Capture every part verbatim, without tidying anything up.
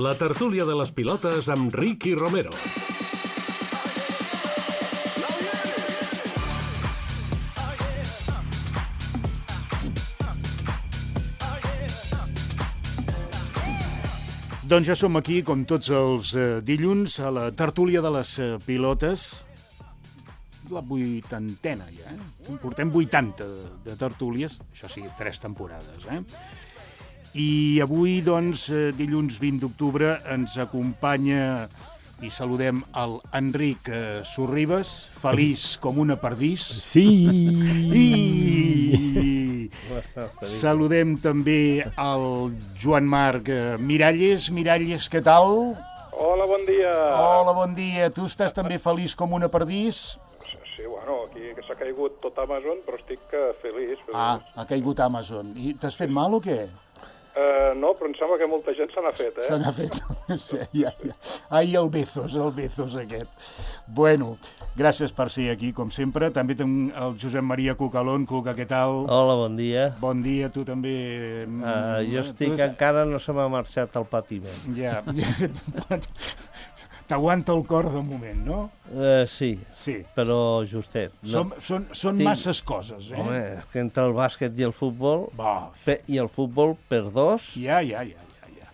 La tertúlia de les pilotes amb Ricky Romero. Doncs ja som aquí, com tots els eh, dilluns, a la tertúlia de les eh, pilotes. La vuitantena, ja, eh? Portem vuitanta de, de tertúlies, això sí, tres temporades, eh? I avui, doncs, eh, dilluns vint d'octubre, ens acompanya i saludem el Enric eh, Sorribes, feliç com una perdís. Sí! I saludem també el Joan Marc eh, Miralles. Miralles, què tal? Hola, bon dia. Hola, bon dia. Tu estàs també feliç com una perdís? Sí, bueno, aquí que s'ha caigut tot Amazon, però estic uh, feliç, feliç. Ah, ha caigut Amazon. I t'has fet mal o què? Uh, no, però em sembla que molta gent se n'ha fet, eh? Se n'ha fet. Sí, ja, ja. Ai, el Bezos, el Bezos aquest. Bueno, gràcies per ser aquí, com sempre. També tenim el Josep Maria Cucalón. Cuca, què tal? Hola, bon dia. Bon dia, tu també. Uh, jo estic, tu... encara no se m'ha marxat el patiment. Ja, ja. T'aguanta el cor de moment, no? Uh, sí, sí, però justet. No. Són, són, són Tinc... masses coses, eh? Home, que entre el bàsquet i el futbol, Va. Pe... i el futbol per dos... Ja, ja, ja, ja. ja.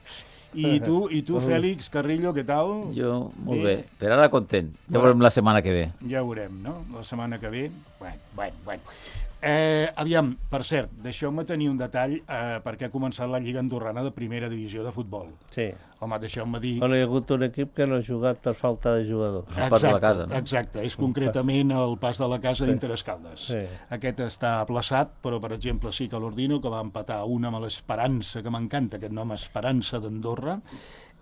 I tu, i tu Fèlix Carrillo, què tal? Jo, molt bé. bé. Per ara content. Ja veurem la setmana que ve. Ja veurem, no? La setmana que ve. Bueno, bueno, bueno. Eh, aviam, per cert, deixeu-me tenir un detall eh, perquè ha començat la Lliga Andorrana de primera divisió de futbol. Sí. Home, deixeu-me dir... Bueno, hi ha hagut un equip que no ha jugat per falta de jugadors. El pas de la casa, no? Exacte, és concretament el pas de la casa d'Interescaldes. Sí. Aquest està aplaçat, però, per exemple, sí que l'Ordino, que va empatar una amb l'Esperança, que m'encanta aquest nom, Esperança d'Andorra,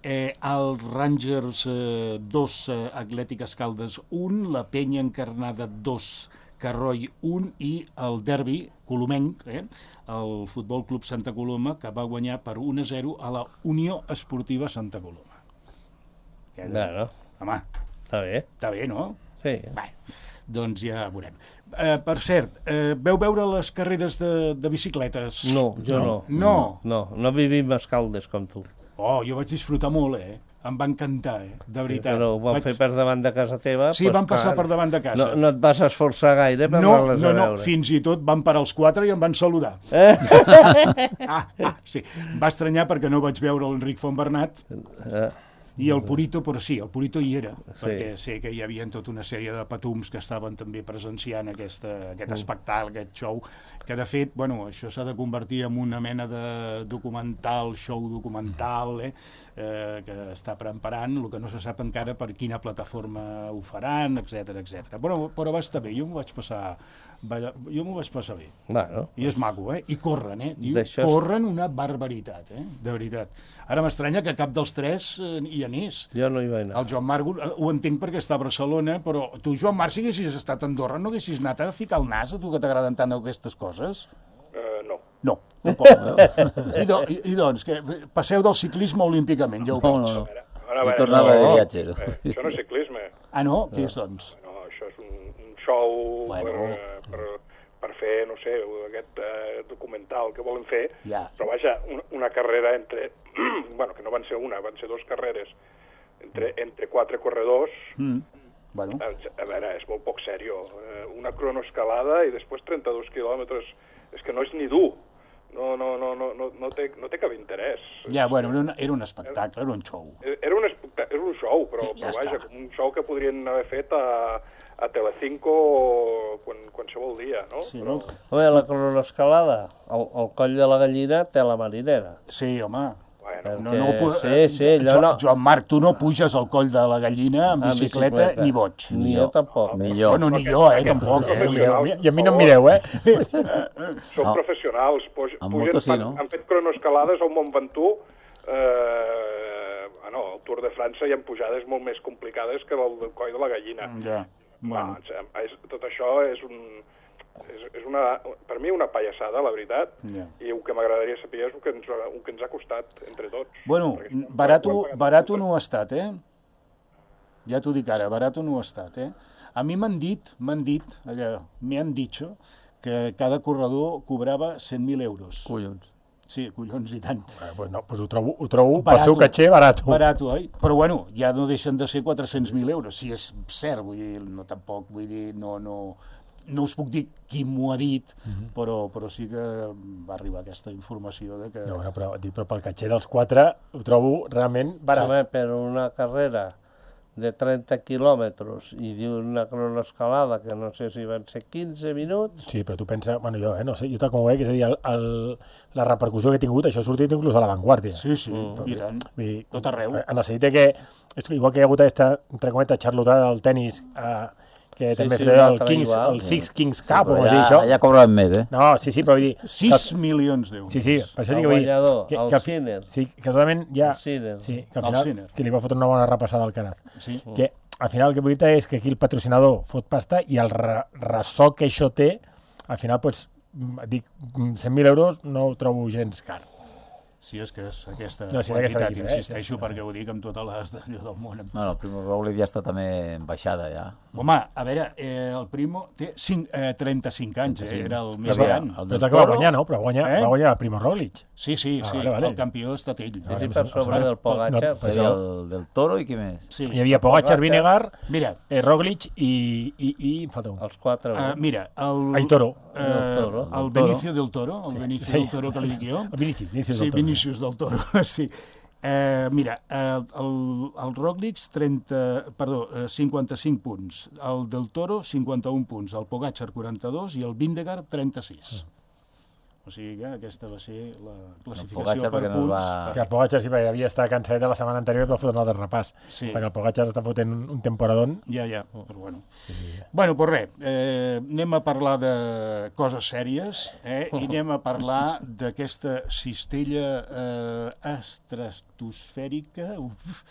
eh, el Rangers eh, dos, eh, Atlètic Escaldes un, la Penya Encarnada dos, Carroi un i el derbi colomenc, eh, el Futbol Club Santa Coloma, que va guanyar per un a zero a la Unió Esportiva Santa Coloma. Ja, no. Home, està bé. Està bé, no? Sí. Bé, doncs ja veurem. Eh, per cert, eh, veu veure les carreres de, de bicicletes? No, jo no. No? No, no vivim a Escaldes com tu. Oh, jo vaig disfrutar molt, eh? Em va encantar, eh? De veritat. Però ho van vaig... fer per davant de casa teva. Sí, pues, van passar clar, per davant de casa. No, no et vas esforçar gaire per no, anar-les no, a no, veure. fins i tot van parar els quatre i em van saludar. Eh? ah, ah, sí. Va estranyar perquè no vaig veure l'Enric Fontbernat Eh? i el Purito, però sí, el Purito hi era, Sí. perquè sé que hi havia tota una sèrie de patums que estaven també presenciant aquesta, aquest Mm. espectacle, aquest show, que de fet, bueno, això s'ha de convertir en una mena de documental, show documental, eh, eh, que està preparant, el que no se sap encara per quina plataforma ho faran, etcètera, etcètera. Bueno, però va estar bé, jo m'ho vaig passar, va, jo m'ho vaig passar bé. Bueno. I és maco, eh? I corren, eh? Diu, D'això... corren una barbaritat, eh? De veritat. Ara m'estranya que cap dels tres eh, hi anés. Jo no hi vaig anar. El Joan Marc ho entenc perquè està a Barcelona, però tu, Joan Marc, si haguessis estat a Andorra, no haguessis anat a ficar el nas, a tu que t'agraden tant aquestes coses? Uh, no. No, tampoc. I, do, i, I doncs, que passeu del ciclisme olímpicament, ja ho No, veig. no, no. A veure, a veure, Jo tornava de no, viatge. No? Eh, això no és ciclisme. Ah, no? Què és, doncs? No, això és un, un show Bueno. per, per, per fer, no sé, aquest eh, documental que volen fer. Ja. Però vaja, una, una carrera entre... bueno, que no van ser una, van ser dues carreres entre, entre quatre corredors. Mm. Bueno. A, a veure, és molt poc sèrio. Eh, una cronoescalada i després trenta-dos quilòmetres. És que no és ni dur. No, no, no, no, no, no, té, no té cap interès. Ja, bueno, era un, era un espectacle, era un show. Era un, era un show, però, Ja però vaja, està. com un show que podrien haver fet a, a Telecinco quan, qualsevol dia, no? Sí, però... no? Home, la cronoescalada, el, el coll de la gallina té la marinera. Sí, home. Bueno, No, no, pu- Sí, sí, allò Joan, no. Joan Marc, tu no puges al coll de la gallina amb En bicicleta, bicicleta. ni boig. Ni jo tampoc. Ni jo. Bueno, ni jo, eh, tampoc. Eh? Professionals, I a mi no em mireu, eh? Són No. professionals. Puj, En pugen, moto sí, fan- no? Han fet cronoescalades al Mont Ventoux. Eh, bueno, al Tour de França hi ha pujades molt més complicades que el del coll de la gallina. Ja, bueno. Ah, és, tot això és un... És, és una, per mi una pallassada, la veritat, Ja. i el que m'agradaria saber és el que, ens, el que ens ha costat entre tots. Bueno, Perquè- barato, ho hem pagat barato tots. no ho ha estat, eh? Ja t'ho dic ara, barato no ho ha estat, eh? A mi m'han dit, m'han dit, allò, me han dicho, que cada corredor cobrava cent mil euros. Collons. Sí, collons, i tant. Eh, pues no, pues ho trobo, ho trobo pel seu caché barat. Barato, oi? Però bueno, ja no deixen de ser quatre-cents mil euros, si és cert, vull dir, no tampoc, vull dir, no, no, no us puc dir qui m'ho ha dit, mm-hmm. però, però sí que va arribar aquesta informació de que... No, no, però, però pel caché dels quatre ho trobo realment barat. Home, per una carrera de trenta quilòmetres i d'una cronoescalada que no sé si van ser quinze minuts... Sí, però tu pensa, bueno, jo, eh, no sé, jo tal com ho veig, és a dir, el, el, la repercussió que ha tingut, això ha sortit inclús a La Vanguardia. Sí, sí, mm. i tant, I, tot arreu. En el sentit que, és igual que hi ha hagut aquesta, entre cometes, xarlotada del tennis, eh, que sí, també sí, feia el, igual, Kings, el Six sí. Kings Sí, Cup, o com es ja, diu això. ja cobraven més, eh? No, sí, sí, però vull dir... sis milions d'euros. Sí, sí, per això El dic que vull dir... guanyador, que, el que, Sinner. Sí, casualment ja... El Sinner. Sí, que al El final, Sinner. que li va fotre una bona repassada al Caraz. Sí. Que al final el que vull dir és que aquí el patrocinador fot pasta i el re ressò que això té, al final, doncs, dic, cent mil euros no ho trobo gens car. Sí, és que és aquesta No, sí, quantitat, aquesta xifra, insisteixo, eh? perquè ho dic amb totes les d'allò del món. Bueno, el Primo Roglic ja està també en baixada, ja. Home, a veure, eh, el Primo té cinc, eh, trenta-cinc anys, eh, era el més Però gran. el Però del és el que va Toro- guanyar, no? Però va guanyar, Eh? va guanyar Primo Roglic. Sí, sí, Ah, sí, vale, vale. el campió ha estat ell. Sí, Vale, sí, per sobre vale. del Pogacar. No, Hi per havia això- el del Toro i qui més? Sí. Hi havia Pogacar, Pogacar. Vinegar, Mira, eh, Roglic i, i, i em falta un. Els quatre. uh, mira, el... Ai, Toro. Eh, El Toro. el Del Toro. Benicio del Toro, el Benicio Sí. del Toro que li dic jo. El Vinicius, Vinicius Sí, del Toro. Vinícius del Toro, sí. Eh, mira, el, el, el Roglic trenta, perdó, eh, cinquanta-cinc punts, el del Toro cinquanta-un punts, el Pogacar quaranta-dos i el Vingegaard trenta-sis. O sigui que aquesta va ser la classificació Pogacar per perquè no punts. va- Perquè el Pogacar sí, perquè havia estat cansadet de la setmana anterior i va fotre un altre repàs. Sí. Perquè el Pogacar està fotent un, un temporadón. Ja, ja, però bueno. Bueno, doncs res, eh, anem a parlar de coses sèries eh, i anem a parlar d'aquesta cistella eh, estratosfèrica uf,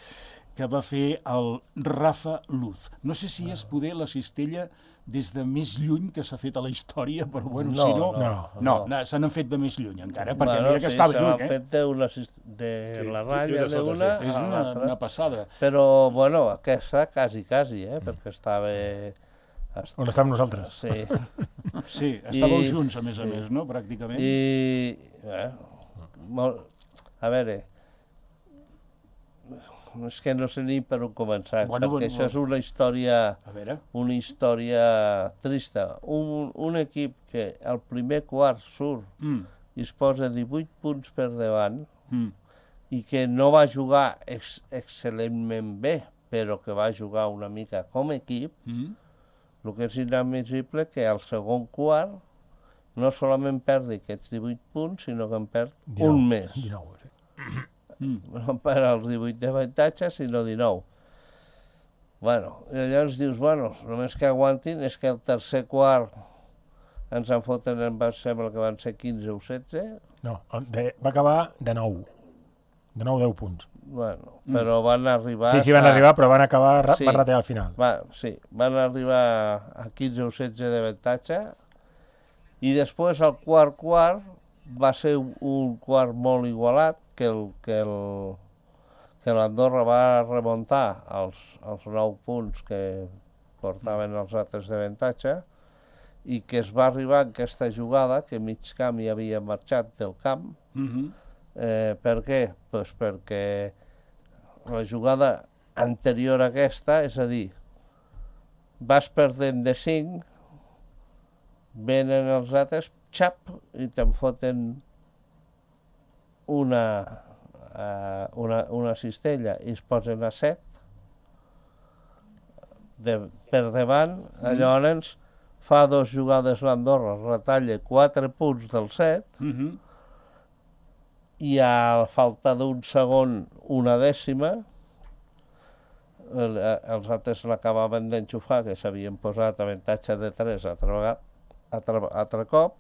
que va fer el Rafa Luz. No sé si és poder la cistella des de més lluny que s'ha fet a la història, però bueno, No, si no... no, no, no. no se n'han fet de més lluny encara, perquè Bueno, mira que sí, estava se lluny, l'han eh? fet de, una, sis- de Sí, la lluny ratlla de sota, d'una sí. És a una, l'altra. una passada. Però, bueno, aquesta quasi, quasi, eh? Perquè estava... est- On estàvem nosaltres. Sí. Sí, estàveu I- junts, a més a més, no?, pràcticament. I... Eh, molt, a veure... És que no sé ni per on començar, Bueno, perquè bueno, això és una història... A veure... una història trista. Un, un equip que al primer quart surt Mm, i es posa divuit punts per davant mm, i que no va jugar ex excel·lentment bé, però que va jugar una mica com a equip, mm. el que és inadmissible que al segon quart no solament perdi aquests divuit punts, sinó que en perd dinou, un més. dinou, sí. No per als divuit d'avantatge, sinó dinou. Bueno, i llavors dius, bueno, només que aguantin és que el tercer quart ens en foten, em va sembla que van ser quinze o setze, No, de, va acabar de nou. De nou, deu punts. bueno, però van arribar... Sí, sí, van a- arribar, però van acabar, ra- Sí. van ratear al final. Va, sí, van arribar a quinze o setze d'avantatge i després el quart quart va ser un, un quart molt igualat que el que el que l'Andorra va remuntar els, els nou punts que portaven els altres d'avantatge i que es va arribar en aquesta jugada que mig camp hi havia marxat del camp. Mhm. Eh, per què? Pues perquè la jugada anterior a aquesta, és a dir, vas perdent de cinc, venen els altres, xap, i te'n foten una, uh, una, una cistella i es posen a set de, per davant, mm. llavors fa dos jugades l'Andorra, retalla quatre punts del set, Mhm. i a falta d'un segon una dècima, el, els altres l'acabaven d'enxufar, que s'havien posat avantatge de tres altre, vegada, altre, altre cop,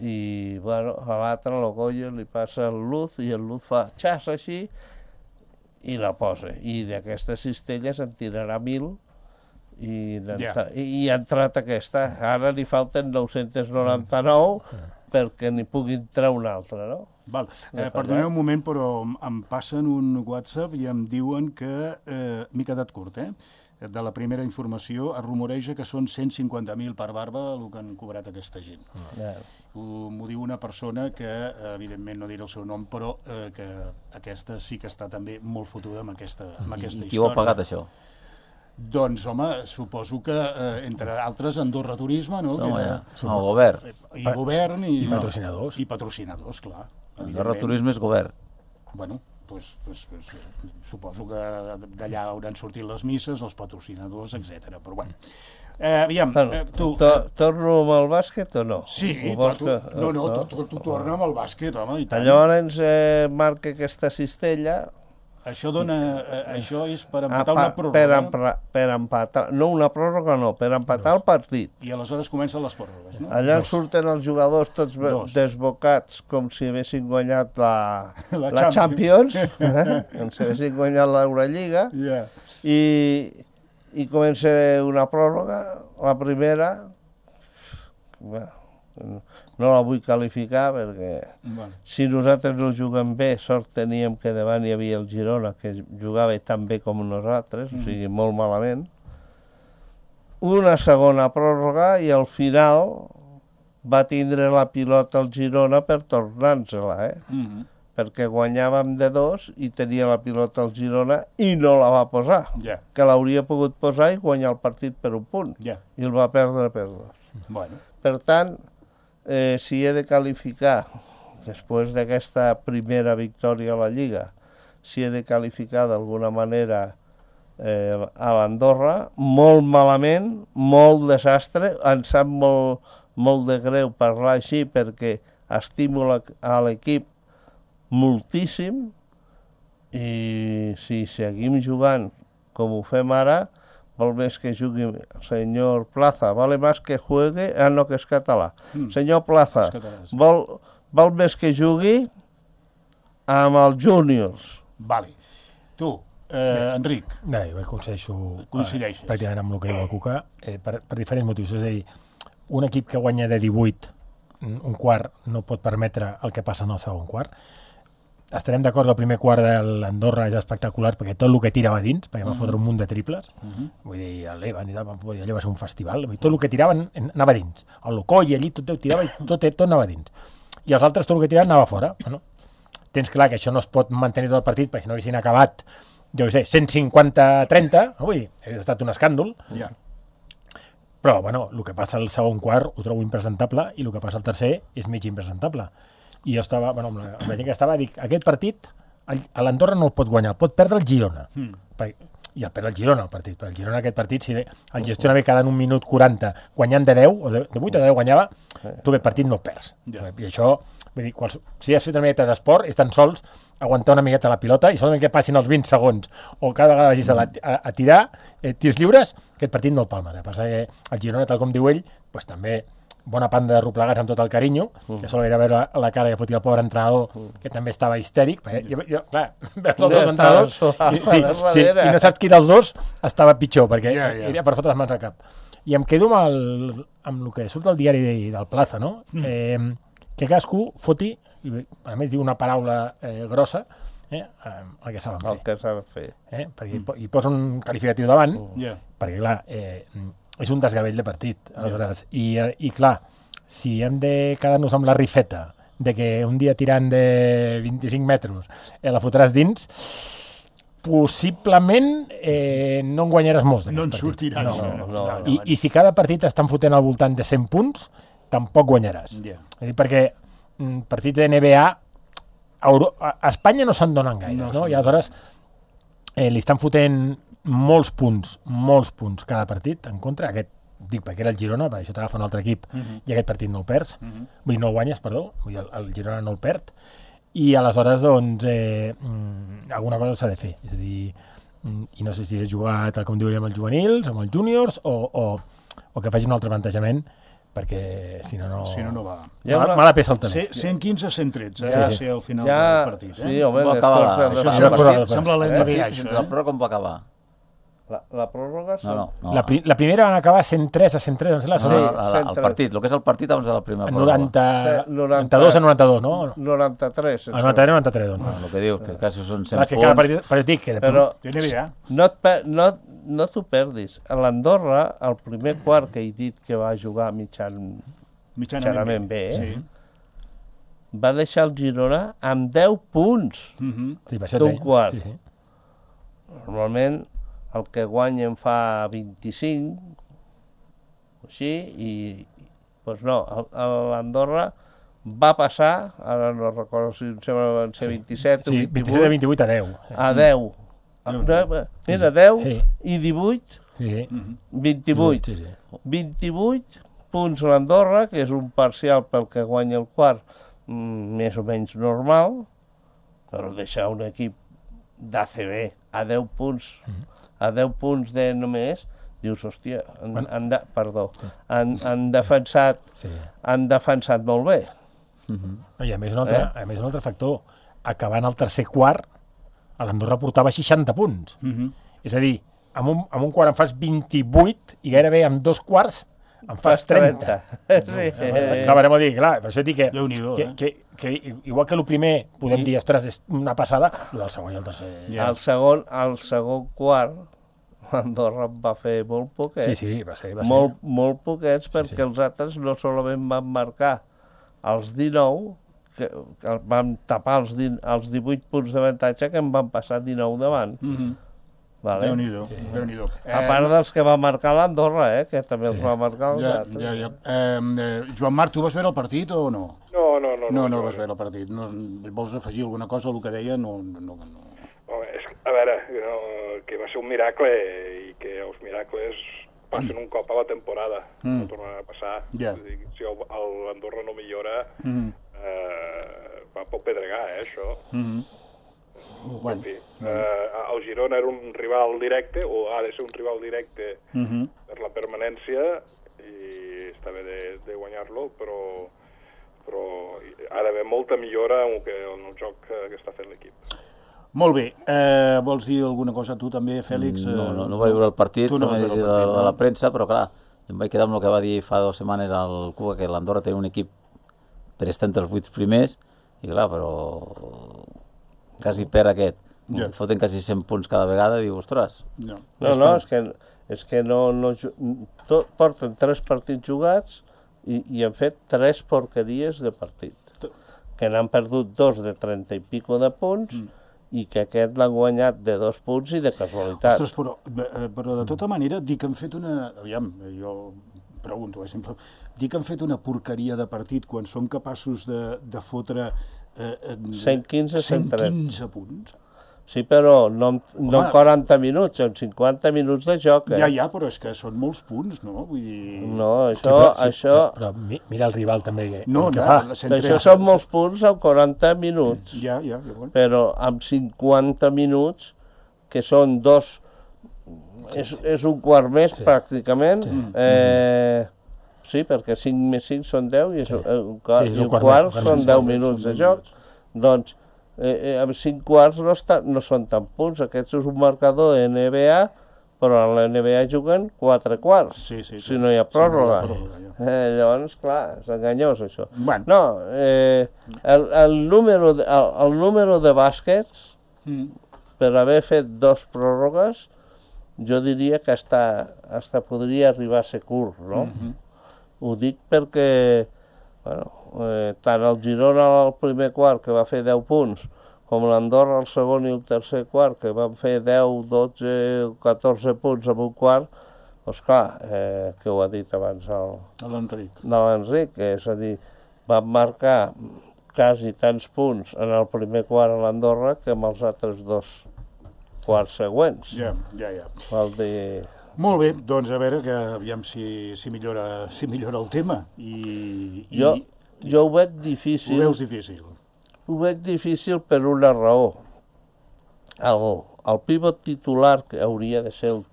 i bueno, a l'altre, el Goyo, li passa el Luz, i el Luz fa xas així, i la posa. I d'aquestes cistelles en tirarà mil, i, Ja. i, i ha entrat aquesta. Ara li falten nou-cents noranta-nou perquè n'hi puguin treure una altra, no? Val. Eh, perdoneu un moment, però em- em passen un WhatsApp i em diuen que... Eh, M'he quedat curt, eh? de la primera informació, es rumoreja que són cent cinquanta mil per barba el que han cobrat aquesta gent. Ja. M'ho diu una persona que, evidentment no diré el seu nom, però eh, que aquesta sí que està també molt fotuda amb aquesta, amb aquesta I, història. I qui ho ha pagat, això? Doncs, home, suposo que, eh, entre altres, Andorra Turisme, no? Home, que era, ja. El govern. I govern i... I patrocinadors. I patrocinadors, clar. Andorra Turisme és govern. Bueno, pues, pues, pues, suposo que d'allà hauran sortit les misses, els patrocinadors, etcètera. Però bueno, eh, aviam, Bueno, eh, tu... to, torno amb el bàsquet o no? Sí, Ho però vols tu, que- no, no, tu, tu, tu torna amb el bàsquet, home, i tant. Llavors eh, marca aquesta cistella. Això dona, eh, això és per a empatar pa- una pròrroga. per, empra, per empatar, no una pròrroga no, per empatar el partit. I aleshores comencen les pròrrogues, no? Allà surten els jugadors tots be- Dos. desbocats com si haguessin guanyat la, La la Champions, eh? com si haguessin guanyat l'Eurolliga, Ja. i, i comença una pròrroga, la primera, bueno, no la vull qualificar perquè Bueno, si nosaltres no juguem bé, sort teníem que davant hi havia el Girona, que jugava tan bé com nosaltres, o sigui, molt malament. Una segona pròrroga i al final va tindre la pilota el Girona per tornar-nos-la, eh? mm perquè guanyàvem de dos i tenia la pilota el Girona i no la va posar, ja, que l'hauria pogut posar i guanyar el partit per un punt, ja. i el va perdre per dos. Bueno, Per tant, eh, si he de qualificar, després d'aquesta primera victòria a la Lliga, si he de qualificar d'alguna manera eh, a l'Andorra, molt malament, molt desastre, em sap molt, molt de greu parlar així perquè estimo la, a l'equip moltíssim i si seguim jugant com ho fem ara, val més que jugui el senyor Plaza, vale més que juegue, ah no, que és català. Mm. Senyor Plaza, És català, sí. vol, val més que jugui amb els júniors. vale. Tu, eh, Enric, Bé, jo coincideixo Coincideixes. eh, pràcticament amb el que diu el Cuca, eh, per, per diferents motius. És a dir, un equip que guanya de divuit un quart no pot permetre el que passa en el segon quart. Estarem d'acord que el primer quart de l'Andorra és espectacular perquè tot el que tira va dins, perquè va fotre un munt de triples. Mhm. Vull dir, l'Evan i tal, allò va ser un festival. Vull dir, tot el que tiraven anava dins. El Locoll allí tot ho tirava i tot, tot anava dins. I els altres tot el que tiraven anava fora. Bueno, tens clar que això no es pot mantenir tot el partit perquè si no haguessin acabat, jo què sé, cent cinquanta a trenta, no? Vull dir, hauria estat un escàndol. ja. Però, bueno, el que passa al segon quart ho trobo impresentable i el que passa al tercer és mig impresentable. I jo estava, bueno, amb la, amb la gent que estava, dic, aquest partit, el- a l'Andorra no el pot guanyar, el pot perdre el Girona. Mm. Perquè, i el perd el Girona, el partit. Perquè el Girona, aquest partit, si el gestiona bé quedant un minut quaranta, guanyant de deu, o de, de vuit o de deu guanyava, tu aquest partit no el perds. Ja. I això, vull dir, quals, si has fet una miqueta d'esport, és tan sols aguantar una miqueta la pilota i solament que passin els vint segons o cada vegada vagis a, la, a, a tirar eh, tirs lliures, aquest partit no el palma. El que passa que el Girona, tal com diu ell, pues, també bona panda de replegats amb tot el carinyo, mm. que solo era veure la, la cara que fotia el pobre entrenador, mm. que també estava histèric, perquè jo, jo, clar, veus els dos entrenadors i, sí, sí, i no saps qui dels dos estava pitjor, perquè Ja, ja. era per fotre les mans al cap. I em quedo amb el, amb el que surt al diari de, del Plaza, no? Mm. Eh, que cadascú foti, i a més diu una paraula eh, grossa, eh, el que saben El fer. que s'ha de fer. Eh? Perquè hi po- hi posa un qualificatiu davant, Ja. perquè clar, eh, és un desgavell de partit, aleshores. I, eh, I clar, si hem de quedar-nos amb la rifeta de que un dia tirant de vint-i-cinc metres eh, la fotràs dins, possiblement eh, no en guanyaràs molts. No en d'aquests sortiràs. partits. no, no, no. I, I si cada partit estan fotent al voltant de cent punts, tampoc guanyaràs. Ja. És a dir, perquè mm, partits de N B A a, Euro a a Espanya no se'n donen gaires, No no? se'n I aleshores eh, li estan fotent molts punts, molts punts cada partit en contra. Aquest, dic, perquè era el Girona, perquè això t'agafa un altre equip, uh -huh. i aquest partit no el perds. Uh -huh. Vull dir, no el guanyes, perdó, vull dir, el, el Girona no el perd. I aleshores, doncs, eh, mm, alguna cosa s'ha de fer. És a dir, mm, i no sé si és jugar, tal com diu ell, amb els juvenils, amb els júniors, o, o, o que faci un altre plantejament, perquè si no, no... Si no, no va. Ja Mala, una- mala peça al també. C- cent quinze a cent tretze, eh? Ja, va sí. ser al final Ja, del partit. Eh? sí, home, Com va després acabar de... això? Això Sí, sembla, sí, sí. sembla l'N B A, Eh? això. Sense la pròrroga com va acabar? La, la pròrroga... No, no. no. La, pri la primera van acabar cent tres a cent tres, em sembla, No, no, no, no, la- la- cent el tres. partit, el que és el partit abans de la primera pròrroga. noranta, Sí, noranta-dos a noranta-dos, no? noranta-tres. El noranta-tres a noranta-tres, doncs. No, el que diu, que quasi són cent Clar, és que cada punts. partit, però jo dic que de Però De N B A. no et, pe- no, no t'ho perdis. A l'Andorra, el primer quart que he dit que va jugar mitjan, mitjanament bé, eh? Sí. va deixar el Girona amb deu punts Mhm. Sí, va ser d'un bé. quart. Sí, sí. Normalment el que guanya en fa vint-i-cinc, així, i doncs no, el- el- l'Andorra va passar, ara no recordo si em sembla van ser vint-i-set o Sí, vint-i-set de vint-i-vuit, vint-i-vuit a deu. Sí. a deu. Déu-n'hi-do. Mira, deu Sí. i divuit, Sí. vint-i-vuit. Sí, sí. vint-i-vuit punts l'Andorra, que és un parcial pel que guanya el quart, mm, més o menys normal, però deixar un equip d'A C B a deu punts, a deu punts de només, dius, hòstia, han, Bueno. han de, perdó, han, han, defensat, Sí. han defensat molt bé. No, I a més, un altre, Eh? a més un altre factor, acabant el tercer quart, a l'Andorra portava seixanta punts. Mhm. És a dir, amb un, amb un quart en fas vint-i-vuit i gairebé amb dos quarts en fas trenta. Sí. Acabarem a dir, clar, per això dic que, Déu-n'hi-do, que, eh? que, que igual que el primer podem dir, ostres, és una passada, el del segon i el tercer... Ja. El segon, el segon quart, l'Andorra en va fer molt poquets. Sí, sí, va ser, va ser. molt, molt poquets, perquè sí. els altres no solament van marcar els dinou, que, que van tapar els, din, els divuit punts d'avantatge que en van passar dinou davant. Mhm. Vale? Déu-n'hi-do, Déu-n'hi-do. A part dels que va marcar l'Andorra, eh, que també els Sí. va marcar els Ja, altres. ja, ja. Eh, eh, Joan Marc, tu vas veure el partit o no? No, no, no. No, no vas veure el partit. No, vols afegir alguna cosa al que deia? No, no, no. Home, és, a veure, no, que va ser un miracle i que els miracles passen un cop a la temporada, Mm. no tornaran a passar. Ja. Vull dir, si el- el- l'Andorra no millora, Mhm. eh, va pel pedregar, eh, això. Mhm. En Bueno, fi, eh, el Girona era un rival directe, o ha de ser un rival directe mhm. per la permanència, i està bé de, de guanyar-lo, però, però ha d'haver molta millora en el, que, en el joc que, que està fent l'equip. Molt bé. Eh, vols dir alguna cosa tu també, Fèlix? No, no, Eh, no vaig veure el partit, Tu no vas només veure el de, partit, de no? la premsa, però clar, em vaig quedar amb el que va dir fa dues setmanes al Cuba, que l'Andorra tenia un equip per estar entre els vuit primers, i clar, però quasi per aquest. Ja. Et foten quasi cent punts cada vegada, i diu, ostres, No, No, no, és que, és que no, no, ju- tot, porten tres partits jugats i, i han fet tres porqueries de partit. Que n'han perdut dos de trenta i pico de punts mm. i que aquest l'han guanyat de dos punts i de casualitat. Ostres, però, eh, però de tota manera, dir que han fet una... Aviam, jo pregunto, eh, simple. Dir que han fet una porqueria de partit quan som capaços de, de fotre... Eh, en- cent quinze, cent trenta. cent quinze punts. Sí, però no, en- no en Home. quaranta minuts, en cinquanta minuts de joc. Eh? Ja, ja, però és que són molts punts, no? Vull dir... No, això... però, sí, això però, però mi- mira el rival també, que, No, el que ja, fa. la cent trenta. això són molts punts en quaranta minuts. Ja, ja, ja, bueno. Però amb cinquanta minuts, que són dos... És, és un quart més, Sí. pràcticament. Sí. Eh, sí, perquè cinc més cinc són deu i, és, Sí. un quart, Sí, és i un un quart quart més, un quart són més. deu Són minuts de deu joc. minuts. Doncs eh, eh, amb cinc quarts no, està, no són tant punts. Aquest és un marcador de N B A, però en la N B A juguen quatre quarts, Sí, sí, sí. si no hi ha Si no hi ha pròrroga. pròrroga, ja. Eh, llavors, clar, és enganyós, això. Bueno. No, eh, el, el, número de, el, el número de bàsquets, Mm. per haver fet dos pròrrogues, jo diria que hasta, hasta podria arribar a ser curt, no? Mhm. Ho dic perquè, bueno, eh, tant el Girona al primer quart, que va fer deu punts, com l'Andorra al segon i el tercer quart, que van fer deu, dotze, catorze punts en un quart, doncs clar, eh, que ho ha dit abans el, A l'Enric. de l'Enric, és a dir, van marcar quasi tants punts en el primer quart a l'Andorra que en els altres dos quarts següents. Ja, ja, ja. Vol dir... Molt bé, doncs a veure que aviam si, si, millora, si millora el tema. I, i Jo, jo ho veig ho difícil, veus difícil. ho veig difícil per una raó. El, el pivot titular, que hauria de ser el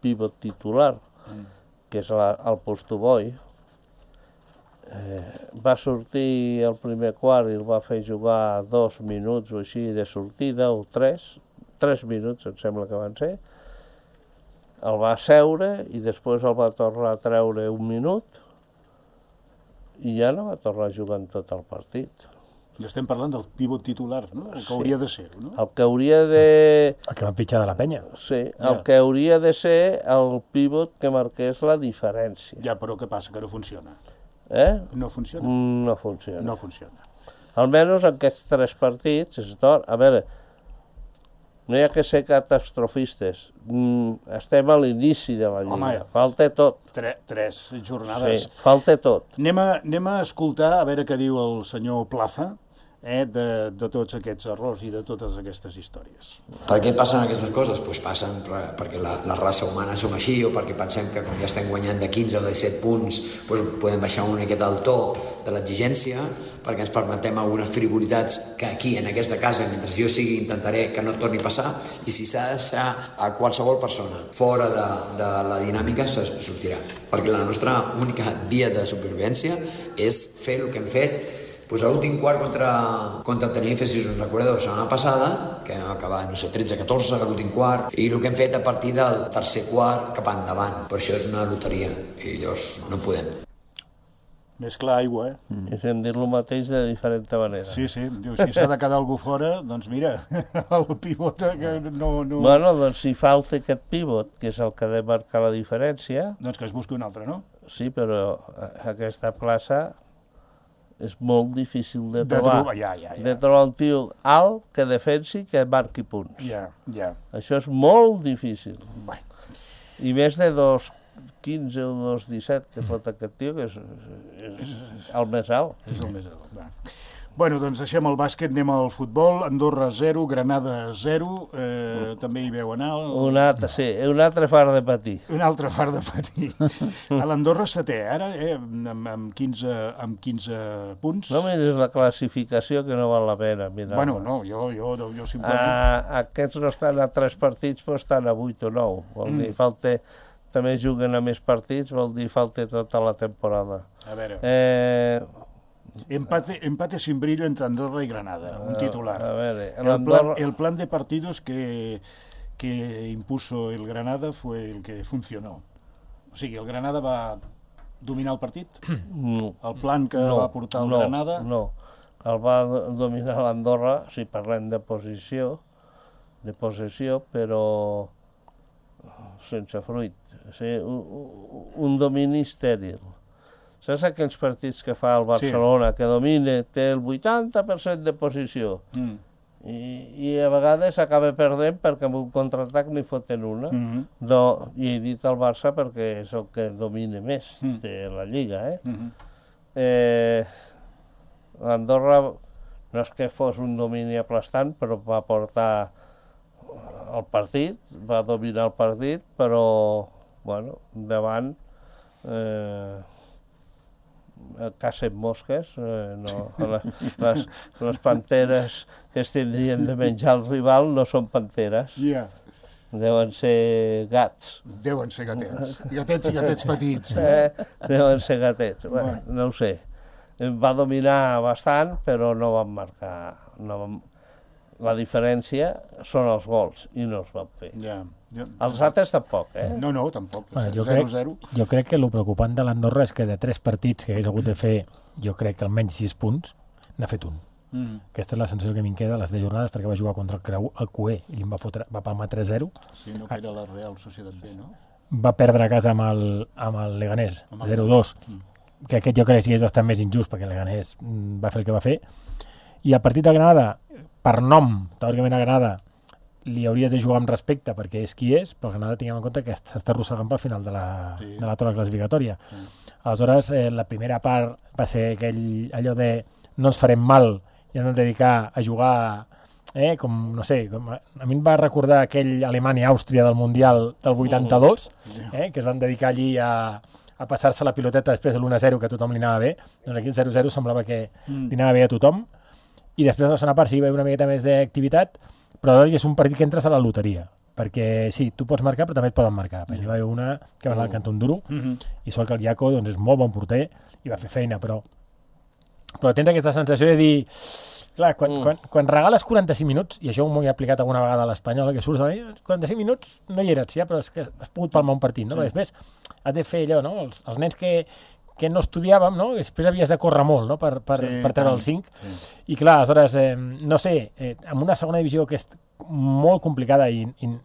pivot titular, que és la, el Postoboi, eh, va sortir el primer quart i el va fer jugar dos minuts o així de sortida, o tres, tres minuts em sembla que van ser, el va seure i després el va tornar a treure un minut i ja no va tornar a jugar en tot el partit. I estem parlant del pivot titular, no? El que Sí. hauria de ser, no? El que hauria de... El que van pitjar de la penya. Sí, el Ja. que hauria de ser el pivot que marqués la diferència. Ja, però què passa? Que no funciona. Eh? No funciona. No funciona. No funciona. Almenys en aquests tres partits, és d'or. A veure, no hi ha que ser catastrofistes. Mm, estem a l'inici de la Lliga. Home, falta tot. Tre tres jornades. Sí, falta tot. Anem a, anem a escoltar a veure què diu el senyor Plaza eh, de, de tots aquests errors i de totes aquestes històries. Per què passen aquestes coses? Pues passen per, perquè la, la raça humana som així, o perquè pensem que com ja estem guanyant de quinze o de disset punts pues podem baixar una miqueta el to de l'exigència, perquè ens permetem algunes frivolitats que aquí, en aquesta casa, mentre jo sigui, intentaré que no et torni a passar, i si s'ha de deixar a qualsevol persona fora de, de la dinàmica, se sortirà. Perquè la nostra única via de supervivència és fer el que hem fet. Pues a l'últim quart contra, contra Tenerife, si us en recordeu, la setmana passada, que vam acabar, no sé, tretze a catorze, a l'últim quart, i el que hem fet a partir del tercer quart cap endavant. Per això és una loteria, i llavors no podem. Més clar aigua, eh? Mm. I hem dit el mateix de diferent manera. Sí, sí. Diu, si s'ha de quedar algú fora, doncs mira, el pivota que no... no... Bueno, doncs si falta aquest pivot, que és el que ha de marcar la diferència... Doncs que es busqui un altre, no? Sí, però aquesta plaça és molt difícil de De trobar. trobar, ja, ja, ja. De trobar un tio alt que defensi, que marqui punts. Ja, ja. Això és molt difícil. Bueno. I més de dos quinze o dos disset que fot aquest tio, que és, és el més alt. És el més alt. Va. Bueno, doncs deixem el bàsquet, anem al futbol. Andorra zero, Granada zero, eh, també hi veu anar. El... Un altre, sí, un altre far de patir. Un altre far de patir. A l'Andorra setè, ara, eh, amb, amb, quinze, amb quinze punts. No miris la classificació, que no val la pena mirar. Bueno, no, jo, jo, jo simplement... Ah, aquests no estan a tres partits, però estan a vuit o nou. Vol Mm. dir, falta... També juguen a més partits, vol dir, falta tota la temporada. A veure, Eh, empate, empate sin brillo entre Andorra y Granada, un titular. A veure, El plan, l'Andorra... el plan de partidos que, que impuso el Granada fue el que funcionó. O sigui, el Granada va dominar el partit? No, El plan que no, va portar el no, Granada? No, el va do- dominar l'Andorra, si parlem de posició, de possessió, però sense fruit. O sigui, un, un- un domini estèril. Saps aquells partits que fa el Barcelona, que domina, té el vuitanta per cent de posició, Mm. i, i a vegades acaba perdent perquè amb un contraatac n'hi foten una. Mm-hmm. Do, I he dit el Barça perquè és el que domina més Mm. de la Lliga. Eh? Mm-hmm. Eh, L'Andorra no és que fos un domini aplastant, però va portar el partit, va dominar el partit, però, bueno, davant eh, cacen mosques, eh, no, les, les, les panteres que es tindrien de menjar el rival no són panteres, Ja, deuen ser gats. deuen ser gatets. Gatets i gatets petits. Eh? Eh, deuen ser gatets. Bueno, no ho sé. Va dominar bastant, però no van marcar... No van... La diferència són els gols, i no els van fer. Ja. Jo, Els altres tampoc, eh? no, no, tampoc. Bueno, jo, zero crec, zero. jo crec que el preocupant de l'Andorra és que de tres partits que hagués hagut de fer, jo crec que almenys sis punts, n'ha fet un. Mm. Aquesta és la sensació que a mi em queda de les tres jornades, perquè va jugar contra el, Creu, el Cué i li va, fotre, va palmar tres zero. Sí, no, que era la Real Societat B, no? Va perdre a casa amb el, amb el Leganés, Amb el- zero dos, Mm. que aquest jo crec que sí és bastant més injust, perquè el Leganés mm, va fer el que va fer. I el partit de Granada, per nom, teòricament a Granada, li hauries de jugar amb respecte perquè és qui és, però Granada tinguem en compte que s'està arrossegant pel final de la, Sí. de la torre classificatòria. Sí. Aleshores, eh, la primera part va ser aquell, allò de no ens farem mal i no ens dedicar a jugar, eh, com, no sé, com, a a mi em va recordar aquell Alemanya-Àustria del Mundial del vuitanta-dos, eh, que es van dedicar allí a, a passar-se la piloteta després de l'u a zero, que a tothom li anava bé. Doncs aquí el zero zero semblava que Mm. li anava bé a tothom, i després de la segona part sí hi va haver una miqueta més d'activitat, però doncs és un partit que entres a la loteria, perquè sí, tu pots marcar però també et poden marcar. Perquè hi va haver una que va anar al cantó un duro, Mm-hmm. i sort que el Iaco doncs, és molt bon porter i va fer feina, però però tens aquesta sensació de dir clar, quan, Mm. quan, quan regales quaranta-cinc minuts, i això m'ho he aplicat alguna vegada a l'Espanyol, que surts a la quaranta-cinc minuts no hi eres, ja, però és que has pogut palmar un partit, no? Sí. Sí. Després has de fer allò, no? Els, els nens que, que no estudiàvem, no? Després havies de córrer molt, no?, per, per, Sí, per treure tant, el cinc. sí. I clar, aleshores, eh, no sé, eh, amb una segona divisió que és molt complicada i... i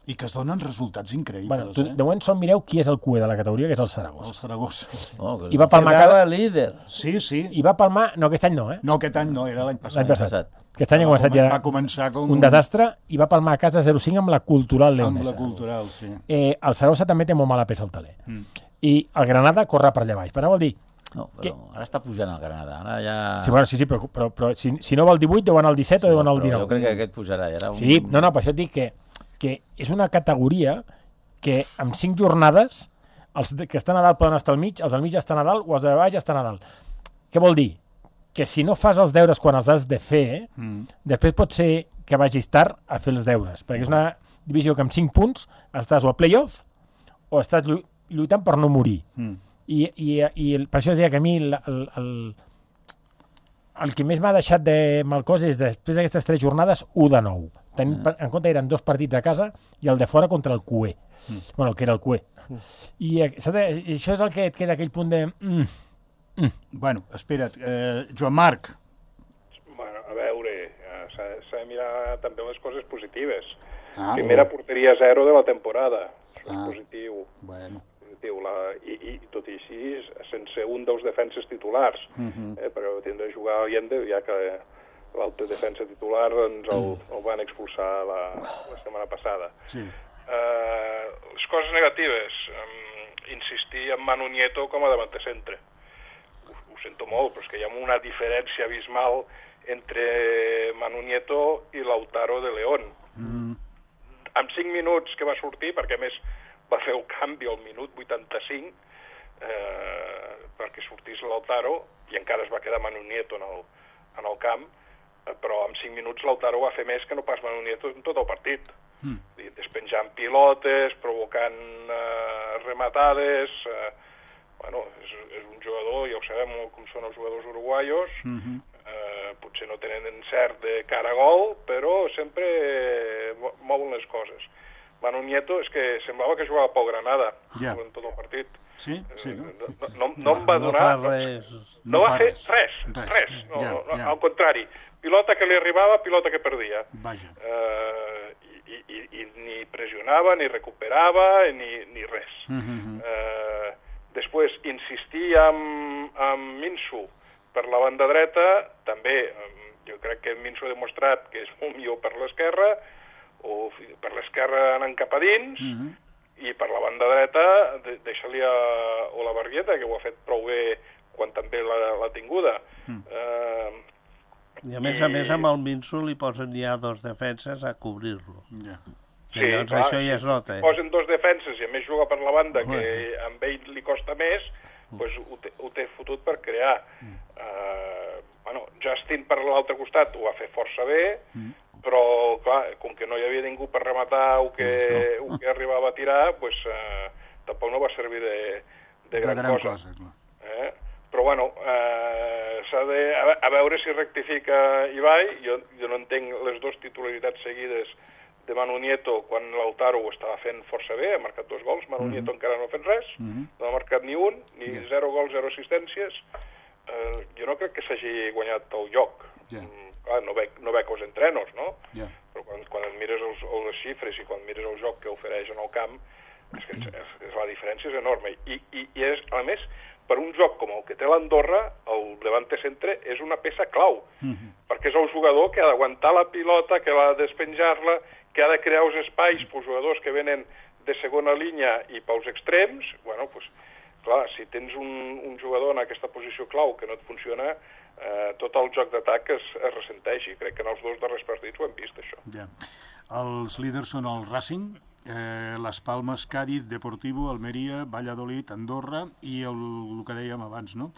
I que es donen resultats increïbles, bueno, tu, eh? de moment sol mireu qui és el cué de la categoria, que és el Saragossa. El Saragossa. Oh, que... I va palmar Quedava cada... líder. Sí, sí. I va palmar... No, aquest any no, eh? No, aquest any no, era l'any passat. L'any passat. passat. Aquest any ha Va començat comen- ja va començar com un desastre i va palmar a casa zero cinc amb la Cultural amb Leonesa. la cultural, sí. Eh, el Saragossa també té molt mala peça al taler. Mm. I el Granada corre per allà baix. Però vol dir... No, però ara està pujant el Granada. Ara ja... Sí, bueno, sí, sí, però, però, però si, si no va al divuit, deu anar al disset o deu anar al Però dinou. jo crec que aquest pujarà. Ja era un... Sí, no, no, per això et dic que, que és una categoria que amb cinc jornades els que estan a dalt poden estar al mig, els del mig estan a dalt o els de baix estan a dalt. Què vol dir? Que si no fas els deures quan els has de fer, Mm. després pot ser que vagis tard a fer els deures, perquè és una divisió que amb cinc punts estàs o a play-off o estàs llu- lluitant per no morir. Mm. I, i, i el, per això es deia que a mi el, el, el, el que més m'ha deixat de mal cos és després d'aquestes tres jornades, u de nou. Tenint Mm. en compte eren dos partits a casa i el de fora contra el cué. Mm. Bueno, el que era el cué. Mm. I, eh, saps, eh, això és el que et queda aquell punt de... Mm, Bueno, espera't, eh, Joan Marc, Bueno, a veure, eh, s'ha s'ha de mirar també les coses positives. Ah, Primera porteria zero de la temporada. Això Ah. és positiu. bueno, positiu. La, i, I tot i així, sense un dels defenses titulars. Mhm. eh, perquè tindrà de jugar Allende, ja que l'altre defensa titular doncs, el, el van expulsar la, la setmana passada. sí. Eh, les coses negatives, um, insistir en Manu Nieto com a davanter centre. Ho, ho sento molt, però és que hi ha una diferència abismal entre Manu Nieto i Lautaro de León. Mm. Amb cinc minuts que va sortir, perquè a més va fer el canvi al minut vuitanta-cinc eh, perquè sortís Lautaro, i encara es va quedar Manu Nieto en el, en el camp, eh, però amb cinc minuts Lautaro va fer més que no pas Manu Nieto en tot el partit. Mm. I despenjant pilotes, provocant eh, rematades... Eh, bueno, és, és un jugador, ja ho sabem com són els jugadors uruguaios, Mhm. eh, potser no tenen encert de cara a gol, però sempre eh, mo- mouen les coses. Manu Nieto és que semblava que jugava pel Granada Ja. en tot el partit. Sí, sí, no? Eh, No, no, no em va No donar... fa res. No, No va fa fer res. res, Res. res. No, Ja, no, no, ja. al contrari, pilota que li arribava, pilota que perdia. Vaja. Eh, i, i, i ni pressionava, ni recuperava, ni, ni res. Mhm. Eh, després, insistir amb, amb Minsu per la banda dreta, també, eh, jo crec que Minsu ha demostrat que és molt millor per l'esquerra, o fi- per l'esquerra anant cap a dins, Mhm. i per la banda dreta de, deixa-li a Olavarrieta, que ho ha fet prou bé quan també l'ha l'ha tinguda. Mm. Eh, I a més a més amb el Minso li posen ja dos defenses a cobrir-lo. Ja. I llavors això ja es nota. Eh? Posen dos defenses i a més juga per la banda, que amb ell li costa més, doncs ho, té, ho té fotut per crear. Mm. Uh, bueno, Justin per l'altre costat ho va fer força bé, Mm. però clar, com que no hi havia ningú per rematar o que, o que arribava a tirar, doncs uh, tampoc no va servir de, de, De gran, gran cosa. cosa, clar. Eh? Però bueno, eh, s'ha de, a, ve- a veure si rectifica Ibai. Jo, jo no entenc les dues titularitats seguides de Manu Nieto quan Lautaro ho estava fent força bé, ha marcat dos gols, Manu Mhm. Nieto encara no ha fet res, Mhm. no ha marcat ni un, ni Ja. zero gols, zero assistències. Eh, jo no crec que s'hagi guanyat el lloc. Ja. Mm, clar, no veig, no veig els entrenos, no? Ja. Però quan, quan et mires els, les xifres i quan mires el joc que ofereix en el camp, és que és, és, la diferència és enorme. I, i, i és, a més, per un joc com el que té l'Andorra, el davante centre és una peça clau, Mhm. perquè és el jugador que ha d'aguantar la pilota, que ha de despenjar-la, que ha de crear els espais pels jugadors que venen de segona línia i pels extrems. Bueno, doncs, clar, si tens un, un jugador en aquesta posició clau que no et funciona, eh, tot el joc d'atac es, es ressenteix, i crec que en els dos darrers partits ho hem vist, això. Ja. Els líders són el Racing, eh, les Palmes, Cádiz, Deportivo, Almeria, Valladolid, Andorra i el, el que dèiem abans, no?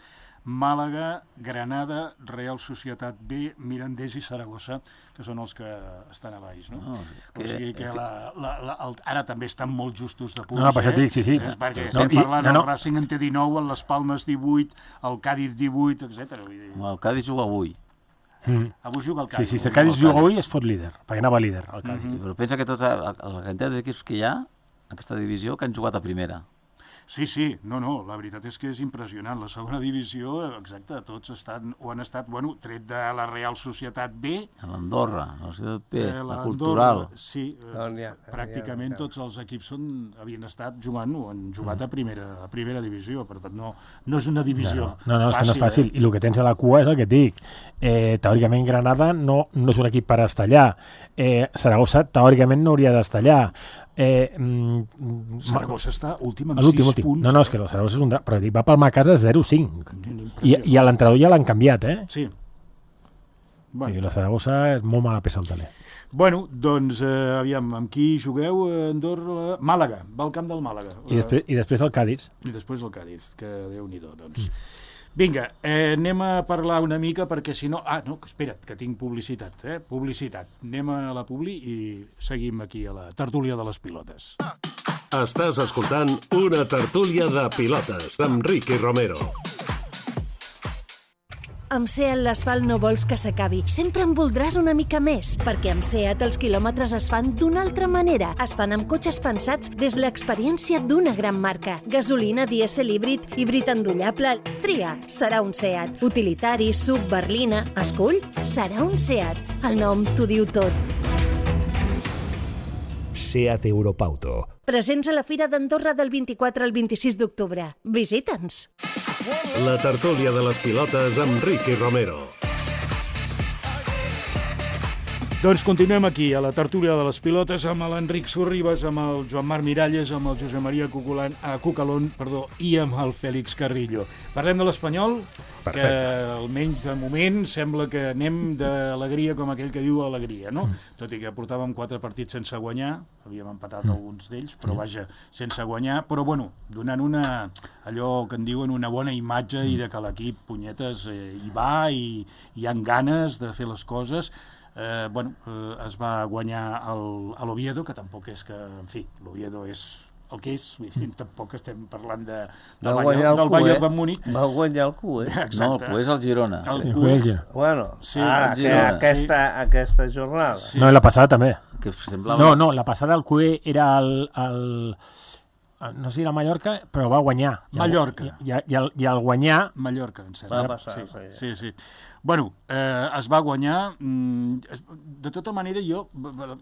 Màlaga, Granada, Real Societat B, Mirandés i Saragossa, que són els que estan a baix, no? No, és que- o sigui que, és que- la, la, la, el, ara també estan molt justos de punts, No, no, per això eh? et dic, sí, sí. És perquè No, estem i- parlant, no, no. el Racing en té dinou, el les Palmes divuit, el Cádiz divuit, etcètera. Vull dir, El Cádiz juga avui. Mm. avui juga el Sí, Cádiz. sí, si el avui Cádiz juga juga avui es fot líder, perquè anava líder, el Cádiz. Sí, però pensa que tota la, la quantitat d'equips que hi ha, aquesta divisió, que han jugat a primera. Sí, sí, no, no, la veritat és que és impressionant. La segona divisió, exacte, tots estan, o han estat, bueno, tret de la Real Societat B... A l'Andorra, la Societat B, eh, la Cultural. Sí, eh, No, n'hi ha, pràcticament n'hi ha, tots els equips són, havien estat jugant o han jugat a primera, a primera divisió, per tant no, no és una divisió No, no, no, és que no és fàcil. Eh? I el que tens a la cua és el que et dic. Eh, teòricament Granada no, no és un equip per estar allà. Eh, Saragossa teòricament no hauria d'estar allà. Eh, mm, Saragossa està últim amb l'últim, sis últim. punts. No, no, és que el Saragossa és un... dra- Però dic, va palmar a casa zero cinc. I, i a l'entrenador ja l'han canviat, eh? Sí. Bueno. I la Saragossa és molt mala peça al taler. Bueno, doncs, eh, aviam, amb qui jugueu? Eh, Andorra... Màlaga, va al camp del Màlaga. I després, i després el Cádiz. I després el Cádiz, que Déu-n'hi-do, doncs. Mm. Vinga, eh, anem a parlar una mica perquè si no... Ah, no, espera't, que tinc publicitat, eh? Publicitat. Anem a la publi i seguim aquí a la tertúlia de les pilotes. Estàs escoltant una tertúlia de pilotes amb Ricky Romero. Amb SEAT l'asfalt no vols que s'acabi. Sempre en voldràs una mica més, perquè amb SEAT els quilòmetres es fan d'una altra manera. Es fan amb cotxes pensats des l'experiència d'una gran marca. Gasolina, dièsel, híbrid, híbrid endollable... Tria, serà un SEAT. Utilitari, sub, berlina... Escull, serà un SEAT. El nom t'ho diu tot. SEAT Europauto. Presents a la Fira d'Andorra del vint-i-quatre al vint-i-sis d'octubre. Visita'ns! La tertúlia de les pilotes amb Ricky Romero. Doncs continuem aquí, a la tertúlia de les pilotes, amb l'Enric Sorribas, amb el Joan Marc Miralles, amb el Josep Maria Cuculan, eh, Cucalón perdó, i amb el Fèlix Carrillo. Parlem de l'Espanyol, que almenys de moment sembla que anem d'alegria com aquell que diu alegria, no? Mm. Tot i que portàvem quatre partits sense guanyar, havíem empatat mm. alguns d'ells, però vaja, sense guanyar, però bueno, donant una, allò que en diuen una bona imatge mm. i de que l'equip, punyetes, eh, hi va i hi han ganes de fer les coses. Eh, bueno, eh, es va guanyar el, a l'Oviedo, que tampoc és que, en fi, l'Oviedo és el que és, mm. tampoc estem parlant de, del Bayern, del Bayern de Múnich. Va guanyar el Q, eh? Exacte. No, el Q és el Girona. El El Q, Girona. Bueno, Sí, ara, el que Girona, aquesta, aquesta jornada. Sí. No, i la passada també. Que semblava... No, no, la passada el Q E era el... el no sé si era Mallorca, però va guanyar. I el, Mallorca. I, i, i, el, I el guanyar... Mallorca, em sembla. Va passar, sí, sí. sí, sí. Bueno, eh, es va guanyar. Mm, de tota manera, jo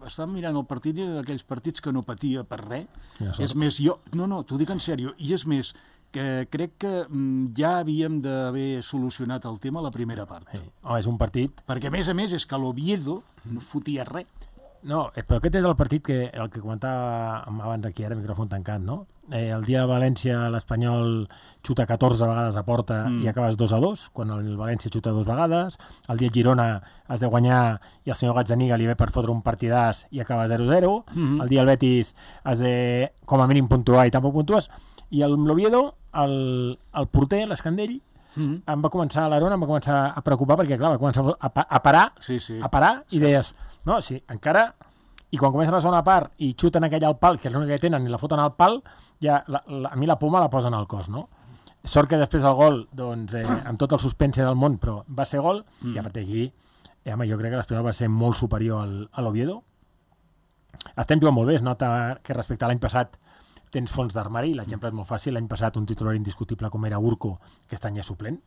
estava mirant el partit i d'aquells partits que no patia per res. Ja És més, jo... No, no, t'ho dic en sèrio. I és més, que crec que mm, ja havíem d'haver solucionat el tema a la primera part. Sí. Oh, és un partit... Perquè, a més a més, és que l'Oviedo no fotia res. No, però aquest és el partit que, el que comentava abans aquí, ara, micròfon tancat, no? Eh, el dia de València l'Espanyol xuta catorze vegades a porta mm. i acabes dos a dos, quan el València xuta dues vegades. El dia de Girona has de guanyar i el senyor Gazzaniga li ve per fotre un partidàs i acaba zero zero. Mm-hmm. El dia del Betis has de, com a mínim, puntuar i tampoc puntues. I el l'Oviedo, el, el porter, l'Escandell, mm-hmm. em va començar a l'Arona, em va començar a preocupar perquè, clar, va començar a, a parar, sí, sí. a parar i deies, no, sí, encara... I quan comença la segona part i xuten aquella al pal, que és l'única que tenen, i la foten al pal, ja la, la, a mi la poma la posen al cos, no? Sort que després del gol, doncs, eh, amb tot el suspense del món, però va ser gol, mm. i a partir d'aquí, eh, home, jo crec que l'Espanyol va ser molt superior al, a l'Oviedo. Estem jugant molt bé, es nota que respecte a l'any passat tens fons d'armari, l'exemple és molt fàcil, l'any passat un titular indiscutible com era Urco, que aquest any és suplent,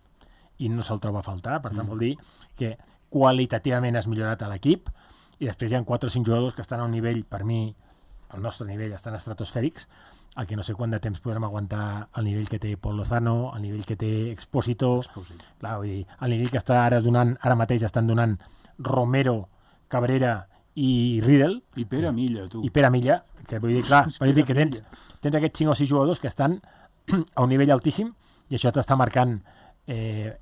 i no se'l troba a faltar, per tant mm. vol dir que qualitativament has millorat a l'equip, i després hi ha quatre o cinc jugadors que estan a un nivell, per mi, al nostre nivell, estan estratosfèrics, el que no sé quant de temps podrem aguantar el nivell que té Pol Lozano, el nivell que té Expósito, clar, vull dir, el nivell que està ara donant, ara mateix estan donant Romero, Cabrera i Riedel. I Pere Milla, tu. I Pere Milla, que vull dir, clar, vull dir que tens, tens aquests cinc o sis jugadors que estan a un nivell altíssim i això t'està marcant eh,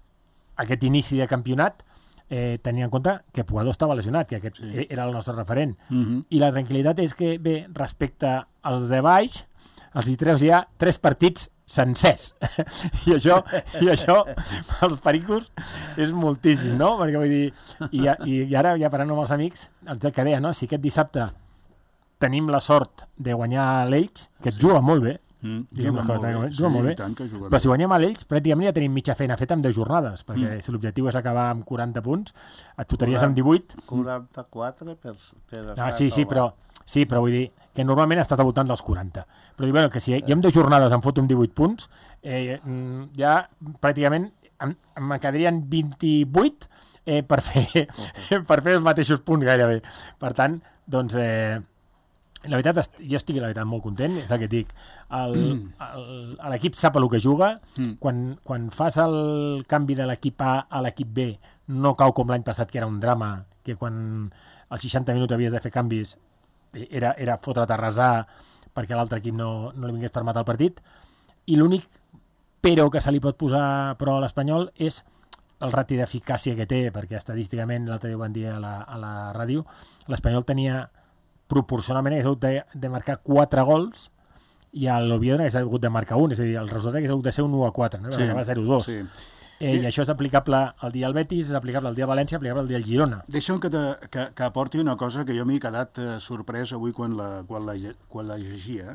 aquest inici de campionat. Eh, tenint en compte que Puado estava lesionat, que aquest sí. era el nostre referent. Uh-huh. I la tranquil·litat és que, bé, respecte als de baix, els hi treus ja tres partits sencers. I això, i això els pericos, és moltíssim, no? Perquè vull dir, i, i, i ara, ja parlant amb els amics, el que deia, no? Si aquest dissabte tenim la sort de guanyar l'Elx, que et sí. juga molt bé, Mm, juga molt bé, juga sí, molt bé. Tant que juga però bé. si guanyem a l'Elx pràcticament ja tenim mitja feina feta amb deu jornades, perquè mm. si l'objectiu és acabar amb quaranta punts et fotries amb divuit. quaranta-quatre per, per no, sí, sí, però Sí, però vull dir que normalment ha estat al voltant dels quaranta. Però dic, bueno, que si jo en dues jornades em foto amb divuit punts, eh, ja pràcticament em, em quedarien vint-i-vuit eh, per, fer, per fer els mateixos punts gairebé. Per tant, doncs, eh, la veritat, jo estic la veritat molt content, és el que et dic. L'equip sap el que juga, quan, quan fas el canvi de l'equip A a l'equip B, no cau com l'any passat, que era un drama, que quan als seixanta minuts havies de fer canvis era, era fotre't a resar perquè l'altre equip no, no li vingués per matar el partit. I l'únic però que se li pot posar però a l'Espanyol és el rati d'eficàcia que té, perquè estadísticament, l'altre dia ho van dir a la, a la ràdio, l'Espanyol tenia proporcionalment hagués hagut de, de marcar quatre gols i a l'Oviedo hagués hagut de marcar un, és a dir, el resultat hagués hagut de ser un u a quatre, no? Sí, va zero a dos. Sí. Eh, I això és aplicable al dia al Betis, és aplicable al dia a València, és aplicable al dia al Girona. Deixa'm que, te, que, que aporti una cosa que jo m'he quedat eh, sorprès avui quan la, quan la, quan la llegia.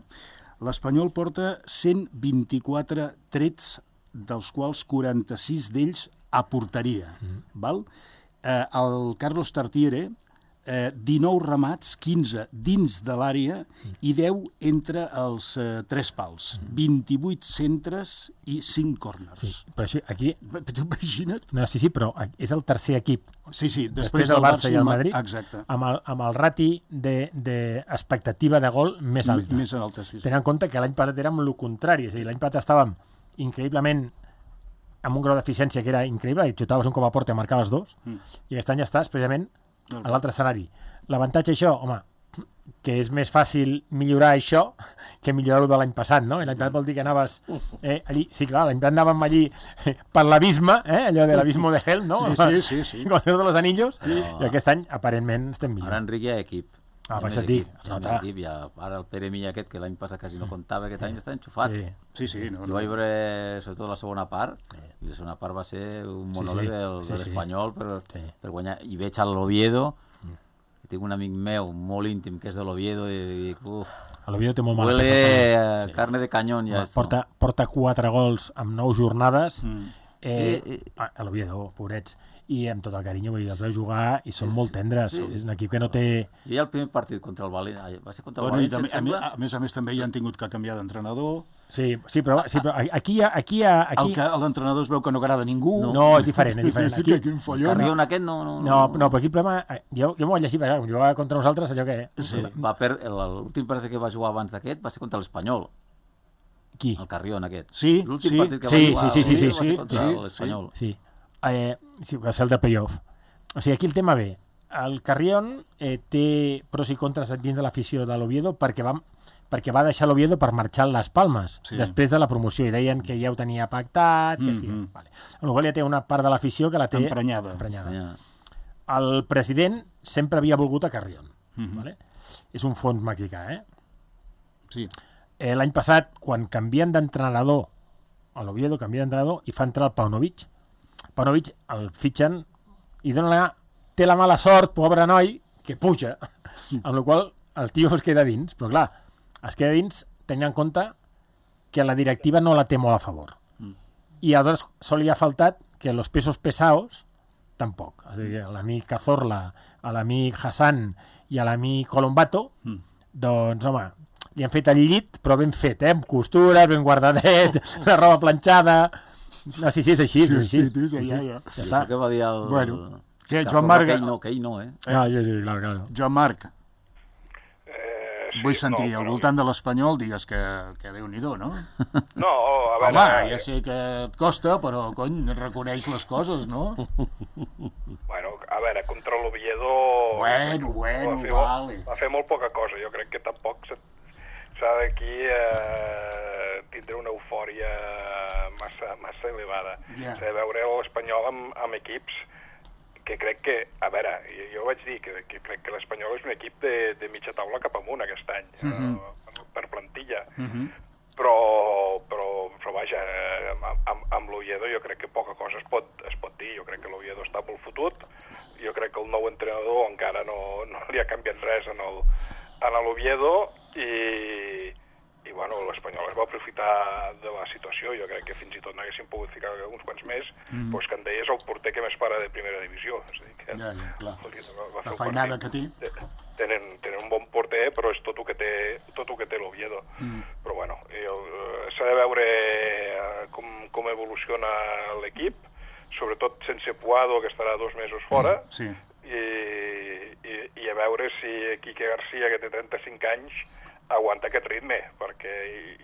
L'Espanyol porta cent vint-i-quatre trets, dels quals quaranta-sis d'ells a porteria. Mm. Val? Eh, el Carlos Tartiere, eh, dinou remats, quinze dins de l'àrea i deu entre els eh, tres pals. Mm. vint-i-vuit centres i cinc còrners. Sí, però això, aquí... Tu imagina't? No, sí, sí, però és el tercer equip. Sí, sí, després, després del Barça i el Madrid, exacte. Amb, el, amb el rati d'expectativa de, de gol més alta. Més alta, sí. sí. Tenint en compte que l'any passat érem el contrari, és a dir, l'any passat estàvem increïblement amb un grau d'eficiència que era increïble, i xutaves un com a porta i marcaves dos, mm. i aquest any ja estàs precisament a l'altre escenari. L'avantatge això, home, que és més fàcil millorar això que millorar-ho de l'any passat, no? I l'any passat vol dir que anaves eh, allí, sí, clar, l'any passat anàvem allí eh, per l'abisme, eh, allò de l'abismo de Helm, no? Sí, sí, sí. sí. Com el de los anillos, no. I aquest any, aparentment, estem millor. Ara Enric hi ha equip. Ah, per això et dic. Equip, ja, ara el Pere Milla aquest, que l'any passat quasi no comptava, aquest any està enxufat. Sí, sí. sí no, jo no. vaig veure, sobretot la segona part, sí. i la segona part va ser un monòleg sí, sí. del, sí, de l'Espanyol sí. per, sí. per guanyar. I veig a l'Oviedo, tinc un amic meu molt íntim que és de l'Oviedo i dic, uf, l'Oviedo té molt mala huele peça, a sí. carne de canyón ja. Porta, porta quatre gols amb nou jornades, mm. eh, sí, sí. a l'Oviedo, pobrets, i amb tot el carinyo, vull dir, els vaig jugar i són sí, molt tendres, sí. és un equip que no té... Jo ja el primer partit contra el València, va ser contra el bueno, València, també, sembla... a, més a més també ja han tingut que canviar d'entrenador. Sí, sí, però, sí, però aquí hi ha... Aquí hi ha aquí... El que l'entrenador es veu que no agrada a ningú. No, no és diferent, és diferent. Aquí... el Carrion aquest no... No, no, no però aquí el problema... Jo, jo m'ho vaig llegir, perquè jugava contra nosaltres, allò que... Sí. Va per... L'últim partit que va jugar abans d'aquest va ser contra l'Espanyol. Qui? El Carrion aquest. Sí, l'últim sí. partit que sí, va jugar sí, sí, sí, va ser contra sí, l'Espanyol. Sí, eh, sí, va ser el de playoff. O sigui, aquí el tema ve. El Carrion eh, té pros i contres dins de l'afició de l'Oviedo perquè va, perquè va deixar l'Oviedo per marxar a les Palmes sí. després de la promoció i deien que ja ho tenia pactat, que sí. Mm-hmm. Vale. Amb la qual ja té una part de l'afició que la té emprenyada. emprenyada. Yeah. El president sempre havia volgut a Carrion. Mm-hmm. Vale? És un fons mexicà, eh? Sí. Eh, L'any passat, quan canvien d'entrenador a l'Oviedo, canvia d'entrenador i fa entrar el Paunovic. Paunovic el fitxen i dona la, té la mala sort, pobre noi, que puja, amb la qual el tio es queda dins, però clar, es queda dins tenint en compte que la directiva no la té molt a favor. Mm. I aleshores sol li ha faltat que los pesos pesados tampoc. És a dir, a l'amic Cazorla, a l'amic Hassan i a l'amic Colombato, mm. doncs, home, li han fet el llit, però ben fet, eh? Amb costures, ben guardadet, la roba planxada... No, sí, sí, és així, és així. Sí, sí, ja, ja. I això que va dir el... Bueno, què, Joan Marc... Que ell no, que ell no, eh? Ah, sí, sí, clar, clar. Joan Marc, eh, sí, vull sentir, no, al però... voltant de l'Espanyol, digues que, que Déu-n'hi-do, no? No, a veure... Home, ja sé que et costa, però, cony, reconeix les coses, no? Bueno, a veure, contra l'Oviedo... Bueno, bueno, va fer, vale. Va fer molt poca cosa, jo crec que tampoc s'ha d'aquí eh, tindre una eufòria massa, massa elevada. Yeah. S'ha de veure l'Espanyol amb, amb equips que crec que, a veure, jo, jo vaig dir que, que crec que l'Espanyol és un equip de, de mitja taula cap amunt aquest any, mm -hmm. eh, per plantilla. Mm -hmm. però, però, però vaja, amb, amb, amb l'Oviedo jo crec que poca cosa es pot, es pot dir. Jo crec que l'Oviedo està molt fotut, jo crec que el nou entrenador encara no, no li ha canviat res en el, en l'Oviedo i, i bueno, l'Espanyol es va aprofitar de la situació. Jo crec que fins i tot n'haguessin pogut ficar uns quants més, mm. doncs que en deies el porter que més para de primera divisió. És a dir, que ja, ja, clar. Va, va la feinada que té. Tenen, tenen un bon porter, però és tot el que té, tot el que té l'Oviedo. Mm. Però bueno, s'ha de veure com, com evoluciona l'equip, sobretot sense Puado, que estarà dos mesos fora, sí. i, i, i a veure si Quique García, que té trenta-cinc anys, aguanta aquest ritme, perquè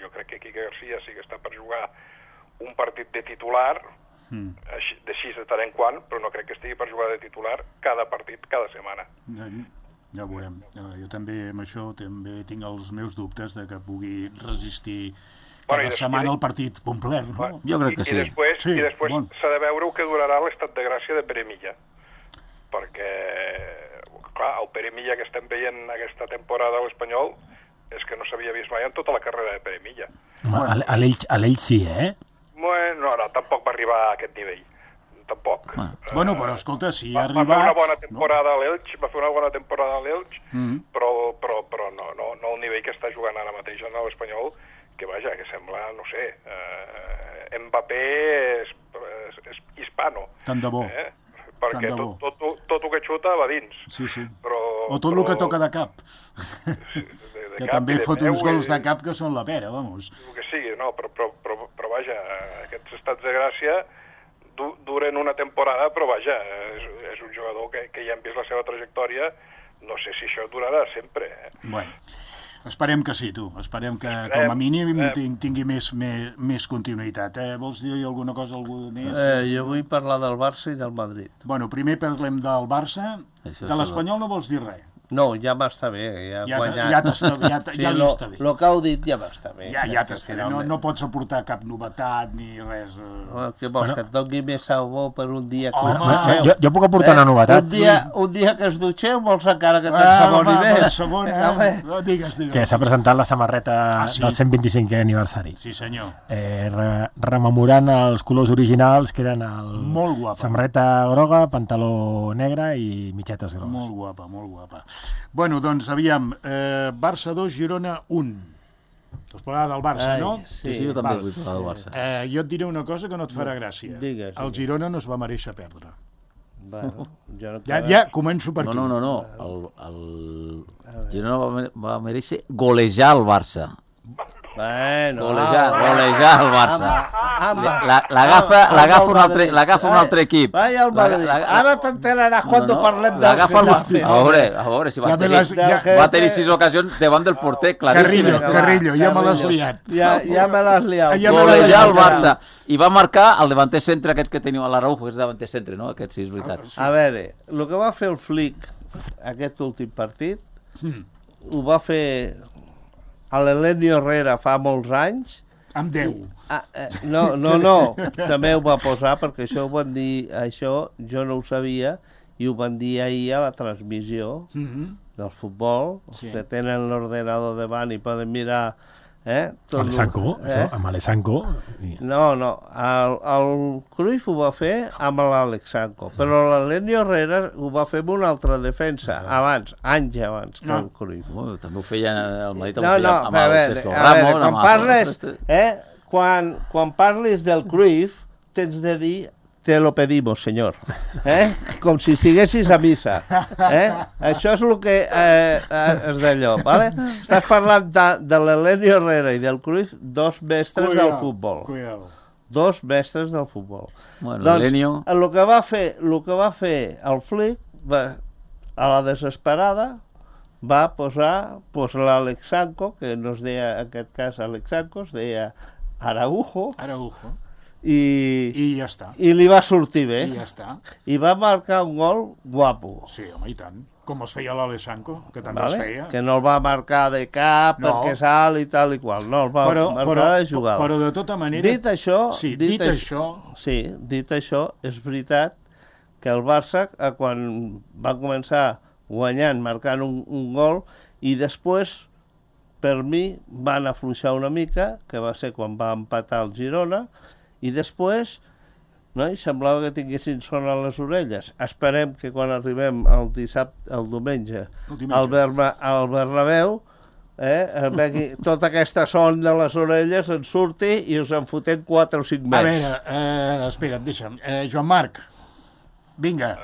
jo crec que Quique García sí que està per jugar un partit de titular, mm. així, d'així de tant en quant, però no crec que estigui per jugar de titular cada partit, cada setmana. Ja, ja ho veurem. Jo també amb això també tinc els meus dubtes de que pugui resistir cada bueno, setmana el partit complet. No? Bueno, jo crec que I, sí. I després, sí, i després bon. s'ha de veure què durarà l'estat de gràcia de Pere Milla, perquè clar, el Pere Milla que estem veient aquesta temporada a l'Espanyol és que no s'havia vist mai en tota la carrera de Pere Milla. Home, a l'Elx sí, eh? Bueno, no, no, tampoc va arribar a aquest nivell. Tampoc. Ah. Uh, bueno, però escolta, si ha va, arribat... Va fer una bona temporada no? a l'Elx, va fer una bona temporada a l'Elx, mm -hmm. però, però, però no, no, no el nivell que està jugant ara mateix en l'Espanyol, que vaja, que sembla, no sé, eh, Mbappé és, és, és hispano. Tant de bo. Eh? Perquè tot, tot, tot, tot el que xuta va dins. Sí, sí. Però, o tot però... el que toca de cap. Sí, de, de que cap també fot uns gols i... de cap que són la pera, vamos. El que sigui, no, però, però, però, però vaja, aquests estats de gràcia du, duren una temporada, però vaja, és, és un jugador que, que ja hem vist la seva trajectòria, no sé si això durarà sempre. Eh? Bueno, esperem que sí, tu. Esperem que, com a mínim, tingui més, més, més continuïtat. Eh? Vols dir alguna cosa, algú més? Eh, jo vull parlar del Barça i del Madrid. Bueno, primer parlem del Barça. Això de l'Espanyol no vols dir res? No, ja m'està bé, ja ha ja guanyat. Ja, t'està, ja, sí, ja li lo, està bé. El que heu dit ja m'està bé. Ja, ja t'està bé, no, no pots aportar cap novetat ni res. Oh, què vols, bueno. que et doni més sabó per un dia que Home, us dutxeu? Jo, jo puc aportar eh? una novetat. Un dia, un dia que es dutxeu vols encara que t'ensaboni ah, més? Sabon, eh? no, digues, digues. Que s'ha presentat la samarreta ah, sí? del cent vint-i-cinquè aniversari. Sí, senyor. Eh, re, rememorant els colors originals, que eren el... Molt guapa. Samarreta groga, pantaló negre i mitgetes grogues. Molt guapa, molt guapa. Bueno, doncs, aviam, eh, Barça dos, Girona un. Vols parlar del Barça, Ai, no? Sí, sí, jo també Val. vull parlar del Barça. Eh, jo et diré una cosa que no et farà gràcia. Digues, el Girona no es va mereixer perdre. Bueno, jo no ja, ja començo per no, aquí. No, no, no. El, el Girona va, va mereixer golejar el Barça. Bueno, golejar, ah, golejar el Barça. L'agafa un, altre, un altre equip. Vaya al Madrid. La, la, Ara t'enteraràs quan no, no, parlem del Getafe. A veure, a veure, si va, ja tenir, ja, va tenir sis ocasions davant del porter, claríssim. Carrillo, Carrillo, ja me l'has liat. Ja, ja me l'has liat. Ja golejar el Barça. I va marcar el davanter centre aquest que teniu a l'Araujo, que és davanter centre, no? Aquest sí, és veritat. A veure, el que va fer el Flick aquest últim partit, hmm. ho va fer a l'Elenio Herrera fa molts anys. Amb deu. Ah, eh, no, no, no, també ho va posar perquè això ho van dir, això jo no ho sabia i ho van dir ahir a la transmissió mm-hmm. del futbol, sí. que tenen l'ordenador davant i poden mirar eh, tot amb Alessanco, eh? Això, amb Alessanco. No, no, el, el Cruyff ho va fer amb l'Alexanco, però l'Elenio Herrera ho va fer amb una altra defensa, abans, anys abans que no. el Cruyff. Oh, també ho feia el Madrid, no, no, amb el Sergio Ramos. A veure, quan parles, eh, quan, quan parlis del Cruyff, tens de dir te lo pedimos, senyor. Eh? Com si estiguessis a missa. Eh? Això és el que eh, és d'allò. ¿Vale? Estàs parlant de, de l'Elenio Herrera i del Cruyff, dos mestres cuidado, del futbol. Cuidado. Dos mestres del futbol. Bueno, doncs, l'Elenio... el que va fer, el que va fer el Flick, va, a la desesperada, va posar pues, l'Alexanco, que no es deia, en aquest cas, Alexanco, es deia Araujo. Araujo. I, I ja està. I li va sortir bé. I ja està. I va marcar un gol guapo. Sí, home, i tant. Com els feia l'Alessanco, que també vale? els feia. Que no el va marcar de cap, no. perquè salt i tal i qual. No, el va però, marcar però, de jugada. Però de tota manera... Dit això... Sí, dit, dit això... Sí, dit això, és veritat que el Barça, quan va començar guanyant, marcant un, un gol, i després, per mi, van afluixar una mica, que va ser quan va empatar el Girona, i després, no, i semblava que tinguessin son a les orelles. Esperem que quan arribem el dissabte, el diumenge, el diumenge. Al, Berna, al Bernabéu, eh, vegi, tota aquesta son de les orelles en surti i us en fotem quatre o cinc més. A veure, eh, espera't, deixa'm. Eh, Joan Marc, vinga,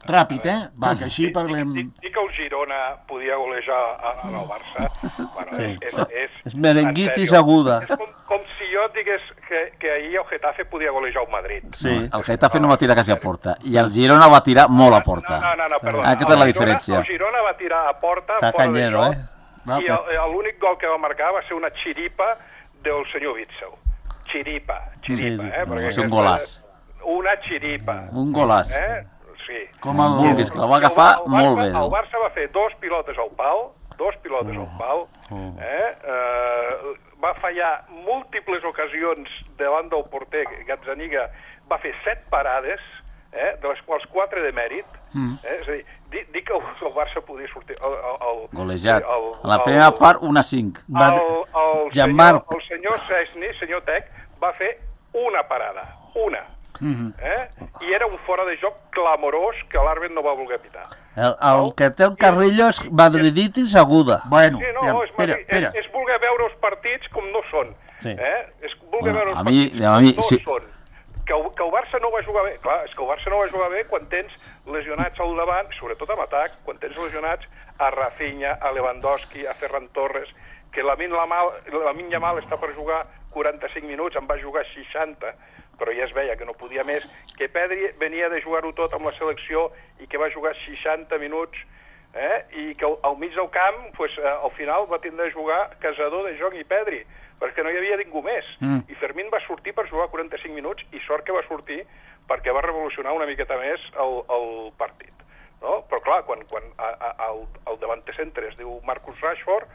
Ràpid, eh? Va, que així parlem... Dir que el Girona podia golejar en el Barça, bueno, Sí. és... és, És merenguitis en sèrio, aguda. És com, com si jo digués que, que ahir el Getafe podia golejar el Madrid. Sí. El Getafe no va tirar quasi a porta, i el Girona va tirar molt a porta. No, no, no, perdona. Aquesta és la El Girona- diferència. El Girona va tirar a porta, Està fora de canyero, joc, eh? i el- l'únic gol que va marcar va ser una xiripa del senyor Witzel. Xiripa, xiripa, Sí, eh? va Perquè ser un aquesta- golaç. Una xiripa. Un golàs. Eh? Sí. Com el... Vulguis, que la va agafar El Barça- molt bé. El Barça va fer dos pilotes al pal, dos pilotes al pal, eh? Eh, va fallar múltiples ocasions davant del porter, Gazzaniga va fer set parades, eh? De les quals quatre de mèrit, eh? És a dir, dir, dir que el, el Barça podia sortir... El, el, el, Golejat. el- En la el- primera part, una cinc. Va- el, el, senyor, Jean-Marc. el senyor Cesny, senyor Tec, va fer una parada, una. Eh? I era un fora de joc clamorós que l'àrbit no va voler pitar. El, el que té el Carrillo és madriditis aguda. Bueno, Sí, no, ja, és, espera, és, espera. és voler veure els partits com no són. Sí. Eh? És voler Bueno, veure els a mi- partits a com mi, no sí. són. Que, el- que el Barça no va jugar bé, clar, és que el Barça no va jugar bé quan tens lesionats al davant, sobretot en atac, quan tens lesionats a Rafinha, a Lewandowski, a Ferran Torres, que la Min Lamal, la Min Yamal està per jugar quaranta-cinc minuts, en va jugar seixanta, però ja es veia que no podia més, que Pedri venia de jugar-ho tot amb la selecció i que va jugar seixanta minuts, eh? I que al, al mig del camp, pues, eh, al final va tindre de jugar Casador, De Jong i Pedri, perquè no hi havia ningú més. Mm. I Fermín va sortir per jugar quaranta-cinc minuts, i sort que va sortir perquè va revolucionar una miqueta més el, el partit. No? Però clar, quan, quan a, a, el, el davanter centre es diu Marcus Rashford,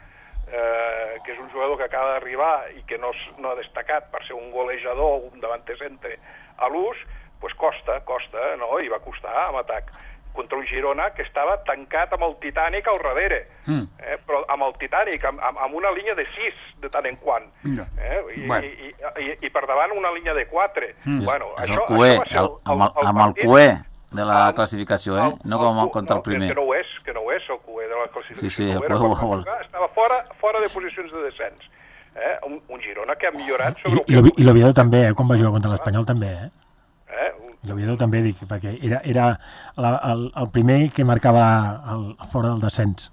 eh, que és un jugador que acaba d'arribar i que no, s- no ha destacat per ser un golejador o un davanter centre a l'ús, pues costa, costa, no? I va costar amb atac contra un Girona que estava tancat amb el Titanic al darrere, mm. eh? Però amb el Titanic, amb, amb, amb una línia de sis de tant en quant, No. eh? I, Bueno. i, i, i, i per davant una línia de quatre. Mm. Bueno, És això, el cué, això va ser el, amb el, amb el partit- cué de la el- classificació, eh? No com cu- contra el no, primer. Que no ho és, que no ho és el cué de la classificació. Sí, sí, el No ho era cué quan ho- va jugar, estava fora, fora de posicions de descens. Eh? Un, un Girona que ha millorat I, sobre el i l'Ovi- I l'Oviedo també, eh, quan va jugar contra l'Espanyol també, eh? Eh? Un, I l'Oviedo també, dic, perquè era, era la, el, el primer que marcava el, fora del descens.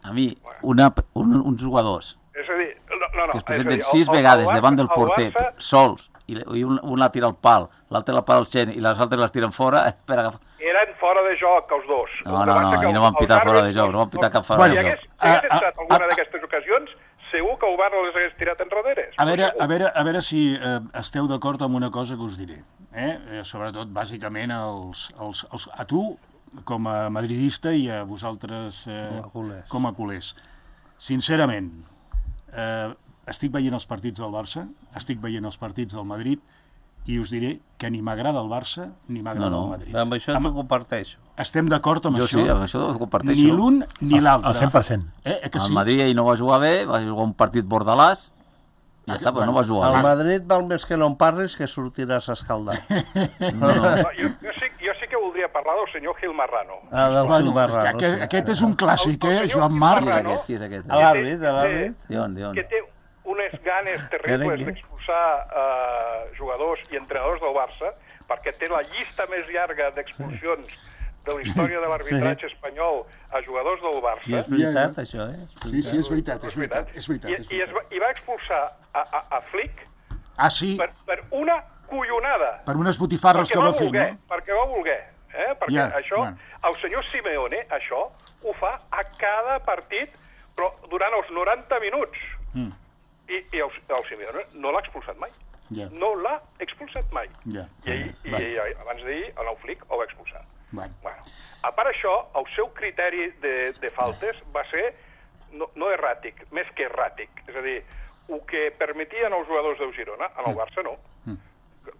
A mi, una, un, uns jugadors és a dir, no, no, no, que es és a dir, presenten el- sis el- el vegades Barça- davant del el porter, Barça- sols, i, le- i un, un la tira al pal, l'altre la para al xen i les altres les tiren fora, eh, per agafar... Eren fora de joc, els dos. No, El que no, passa no, que i no els- van pitar els fora de àrbitres joc, no van pitar cap fora Bueno, de Si joc. hagués, si hagués Ah, estat ah, alguna ah, d'aquestes ocasions, segur que el Bar les hagués tirat enrere. A veure, a veure, a veure si eh, esteu d'acord amb una cosa que us diré. Eh? Eh, sobretot, bàsicament, els, els, els, a tu, com a madridista, i a vosaltres eh, Com a culers. com a culers. Sincerament, eh, estic veient els partits del Barça, estic veient els partits del Madrid, i us diré que ni m'agrada el Barça ni m'agrada No, no. el Madrid. Amb això t'ho comparteixo. Estem d'acord amb Jo això? sí, amb això ho comparteixo. Ni l'un ni l'altre. Al cent per cent. Eh, eh, que El sí? Madrid ahir no va jugar bé, va jugar un partit bordalàs, i ja està, però no va jugar Al bé. Madrid val més que no en parlis que sortiràs escaldat. No, no. No, jo, jo, sí, jo sí que voldria parlar del senyor Gil Marrano. Ah, del Bueno, Gil Marrano, aquest, sí. aquest és un clàssic, El- eh, el senyor Joan Gil Marc. Qui és Marrano. aquest? Qui és aquest? A l'àrbit, a l'àrbit. Dion, dion. Que té unes ganes terribles Merengue. d'expulsar eh, jugadors i entrenadors del Barça, perquè té la llista més llarga d'expulsions de la història de l'arbitratge espanyol a jugadors del I Barça. és veritat, això, eh? Sí, sí, és veritat, és veritat, és veritat. I, És i, es veritat. va, I va expulsar a, a, a Flick Ah, sí, per, per una collonada. per unes botifarres Perquè que va va fer, voler, no? perquè va voler. Eh? Perquè Ja, això, bueno. el senyor Simeone, això, ho fa a cada partit, però durant els noranta minuts. Mm. I, i el, el Simeone no l'ha expulsat mai. Ja. No l'ha expulsat mai. Ja. I, ahir, i, Vale. i abans d'ahir, el nou Flick el va expulsar. Bueno. Bueno, a part això, el seu criteri de, de faltes va ser no, no erràtic, més que erràtic. És a dir, el que permetien els jugadors del Girona, en el Barça no.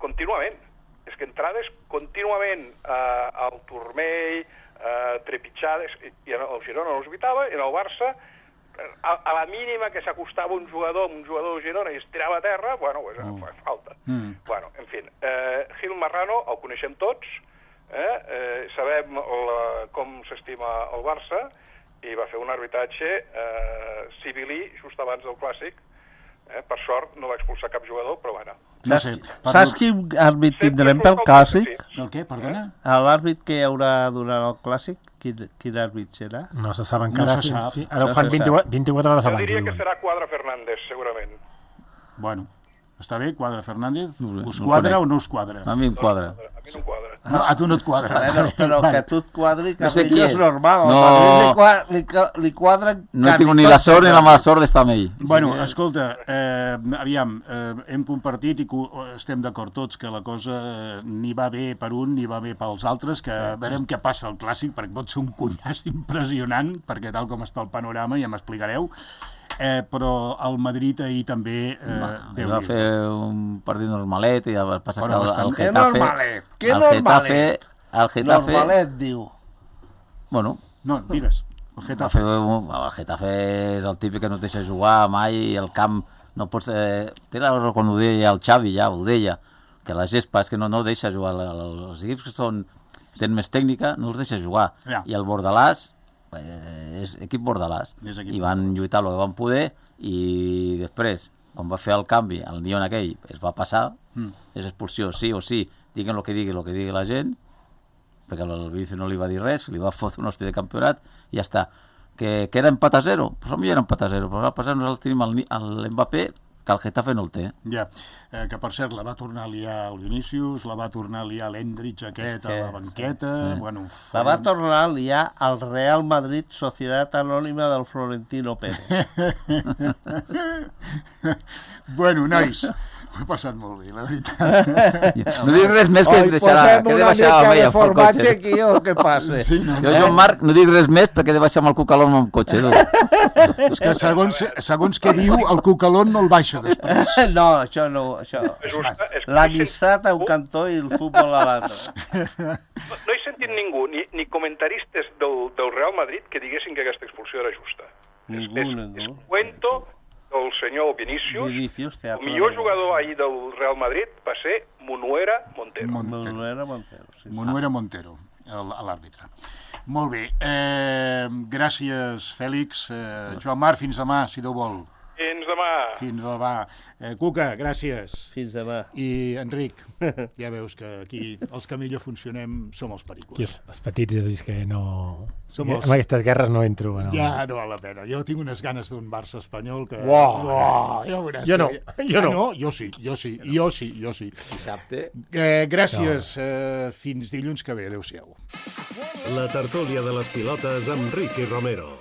Contínuament. És que entrades contínuament eh, al turmell, eh, trepitjades, i, i el Girona no els evitava, i en el Barça, a, a la mínima que s'acostava un jugador un jugador del Girona i es tirava a terra, bueno, pues, mm. fa falta. Mm. Bueno, en fi, eh, Gil Marrano el coneixem tots, eh, eh, sabem la, com s'estima el Barça, i va fer un arbitratge eh, civilí just abans del Clàssic, Eh? Per sort no va expulsar cap jugador, però bueno. No sé, Saps quin àrbit tindrem pel Clàssic? El què, perdona? L'àrbit que hi haurà durant el Clàssic, quin, quin àrbit serà? No se sap encara. No se sap. Sí, ara No ho fan se vint-i-quatre, vint-i-quatre hores Jo abans. diria que diuen. serà Quadra Fernández, segurament. Bueno, està bé, Quadra Fernández. No sé, Us no quadra conec. o no us quadra? A mi em quadra. A mi no em quadra. No, a tu no et quadra. Bueno, però Vale. que tu et quadri No sé qui Carrillo és. és normal. No. A Madrid li, qua- li, ca- li quadren No quasi tinc ni la tots sort ni els la mala àrbits. sort d'estar amb ell. Bueno, escolta, eh, aviam, eh, hem compartit i co estem d'acord tots que la cosa eh, ni va bé per un ni va bé pels altres, que veurem què passa al Clàssic, perquè pot ser un cunyàs impressionant, perquè tal com està el panorama ja m'explicareu, eh, però el Madrid ahir també... Eh, Ell va fer un partit normalet i va passar Bueno, que el, bastant. el Que Getafe... normalet, que el normalet. Getafe, el Getafe... Normalet, diu. Bueno, No, digues, el va Getafe. fer un, el Getafe és el típic que no et deixa jugar mai i el camp no pots... Eh, té la raó quan ho deia el Xavi, ja ho deia, que la gespa és que no, no deixa jugar. Els equips que són, tenen més tècnica no els deixa jugar. Ja. I el Bordalàs eh, és equip Bordalàs. És equip I van lluitar el que van poder i després, quan va fer el canvi, el Nion aquell es va passar, Mm. és expulsió, sí o sí, diguen el que digui, el que digui la gent, perquè el Vinicius no li va dir res, li va fotre un hosti de campionat i ja està. Que, que era empat a zero? Pues potser era empat a zero, però va passar nosaltres tenim el, Ni- el Mbappé, que el Getafe no el té. Ja, eh, que per cert la va tornar a liar el Vinícius, la va tornar a liar l'Endrich aquest a la banqueta, Eh. bueno... La va tornar a liar al Real Madrid Societat Anònima del Florentino Pérez. Bueno, nois, ho he passat molt bé, la veritat. No dic res més que Oi, deixarà, posem que he de una baixar mica amb de ella pel formatge cotxe. aquí o què passa? Sí, no, Jo, Joan Marc, no dic res més perquè he de baixar amb el cucalón amb el cotxe. Tu. és que segons, segons què diu, el cucalón no el baixa després. No, això no, això. És una- és que L'amistat a un cantó i el futbol a l'altre. No, no he sentit ningú, ni, ni comentaristes del, del Real Madrid, que diguessin que aquesta expulsió era justa. Ningú, és, és, ningú. és cuento del senyor Vinícius. Vinicius, El teatre. millor jugador ahir del Real Madrid va ser Munuera Montero. Montero. Manuela Montero. Sí. Monuera Montero, el- l'àrbitre. Molt bé, eh, gràcies, Fèlix. Eh, Joan Marc, fins demà, si Déu vol. Fins demà. Fins demà. Eh, Cuca, gràcies. Fins demà. I Enric, ja veus que aquí els que millor funcionem som els pericos. Tio, els petits, és que no... Som que els- amb aquestes guerres no entro. No. Ja no val la pena. Jo tinc unes ganes d'un Barça espanyol que... Uau. Uau, ja veuràs. Jo no, que- jo Ah, no. no. Jo sí, jo sí, jo sí, jo sí. Dissabte. Eh, gràcies. Eh, fins dilluns que ve. Adéu-siau. La tertúlia de les pilotes amb Ricky Romero.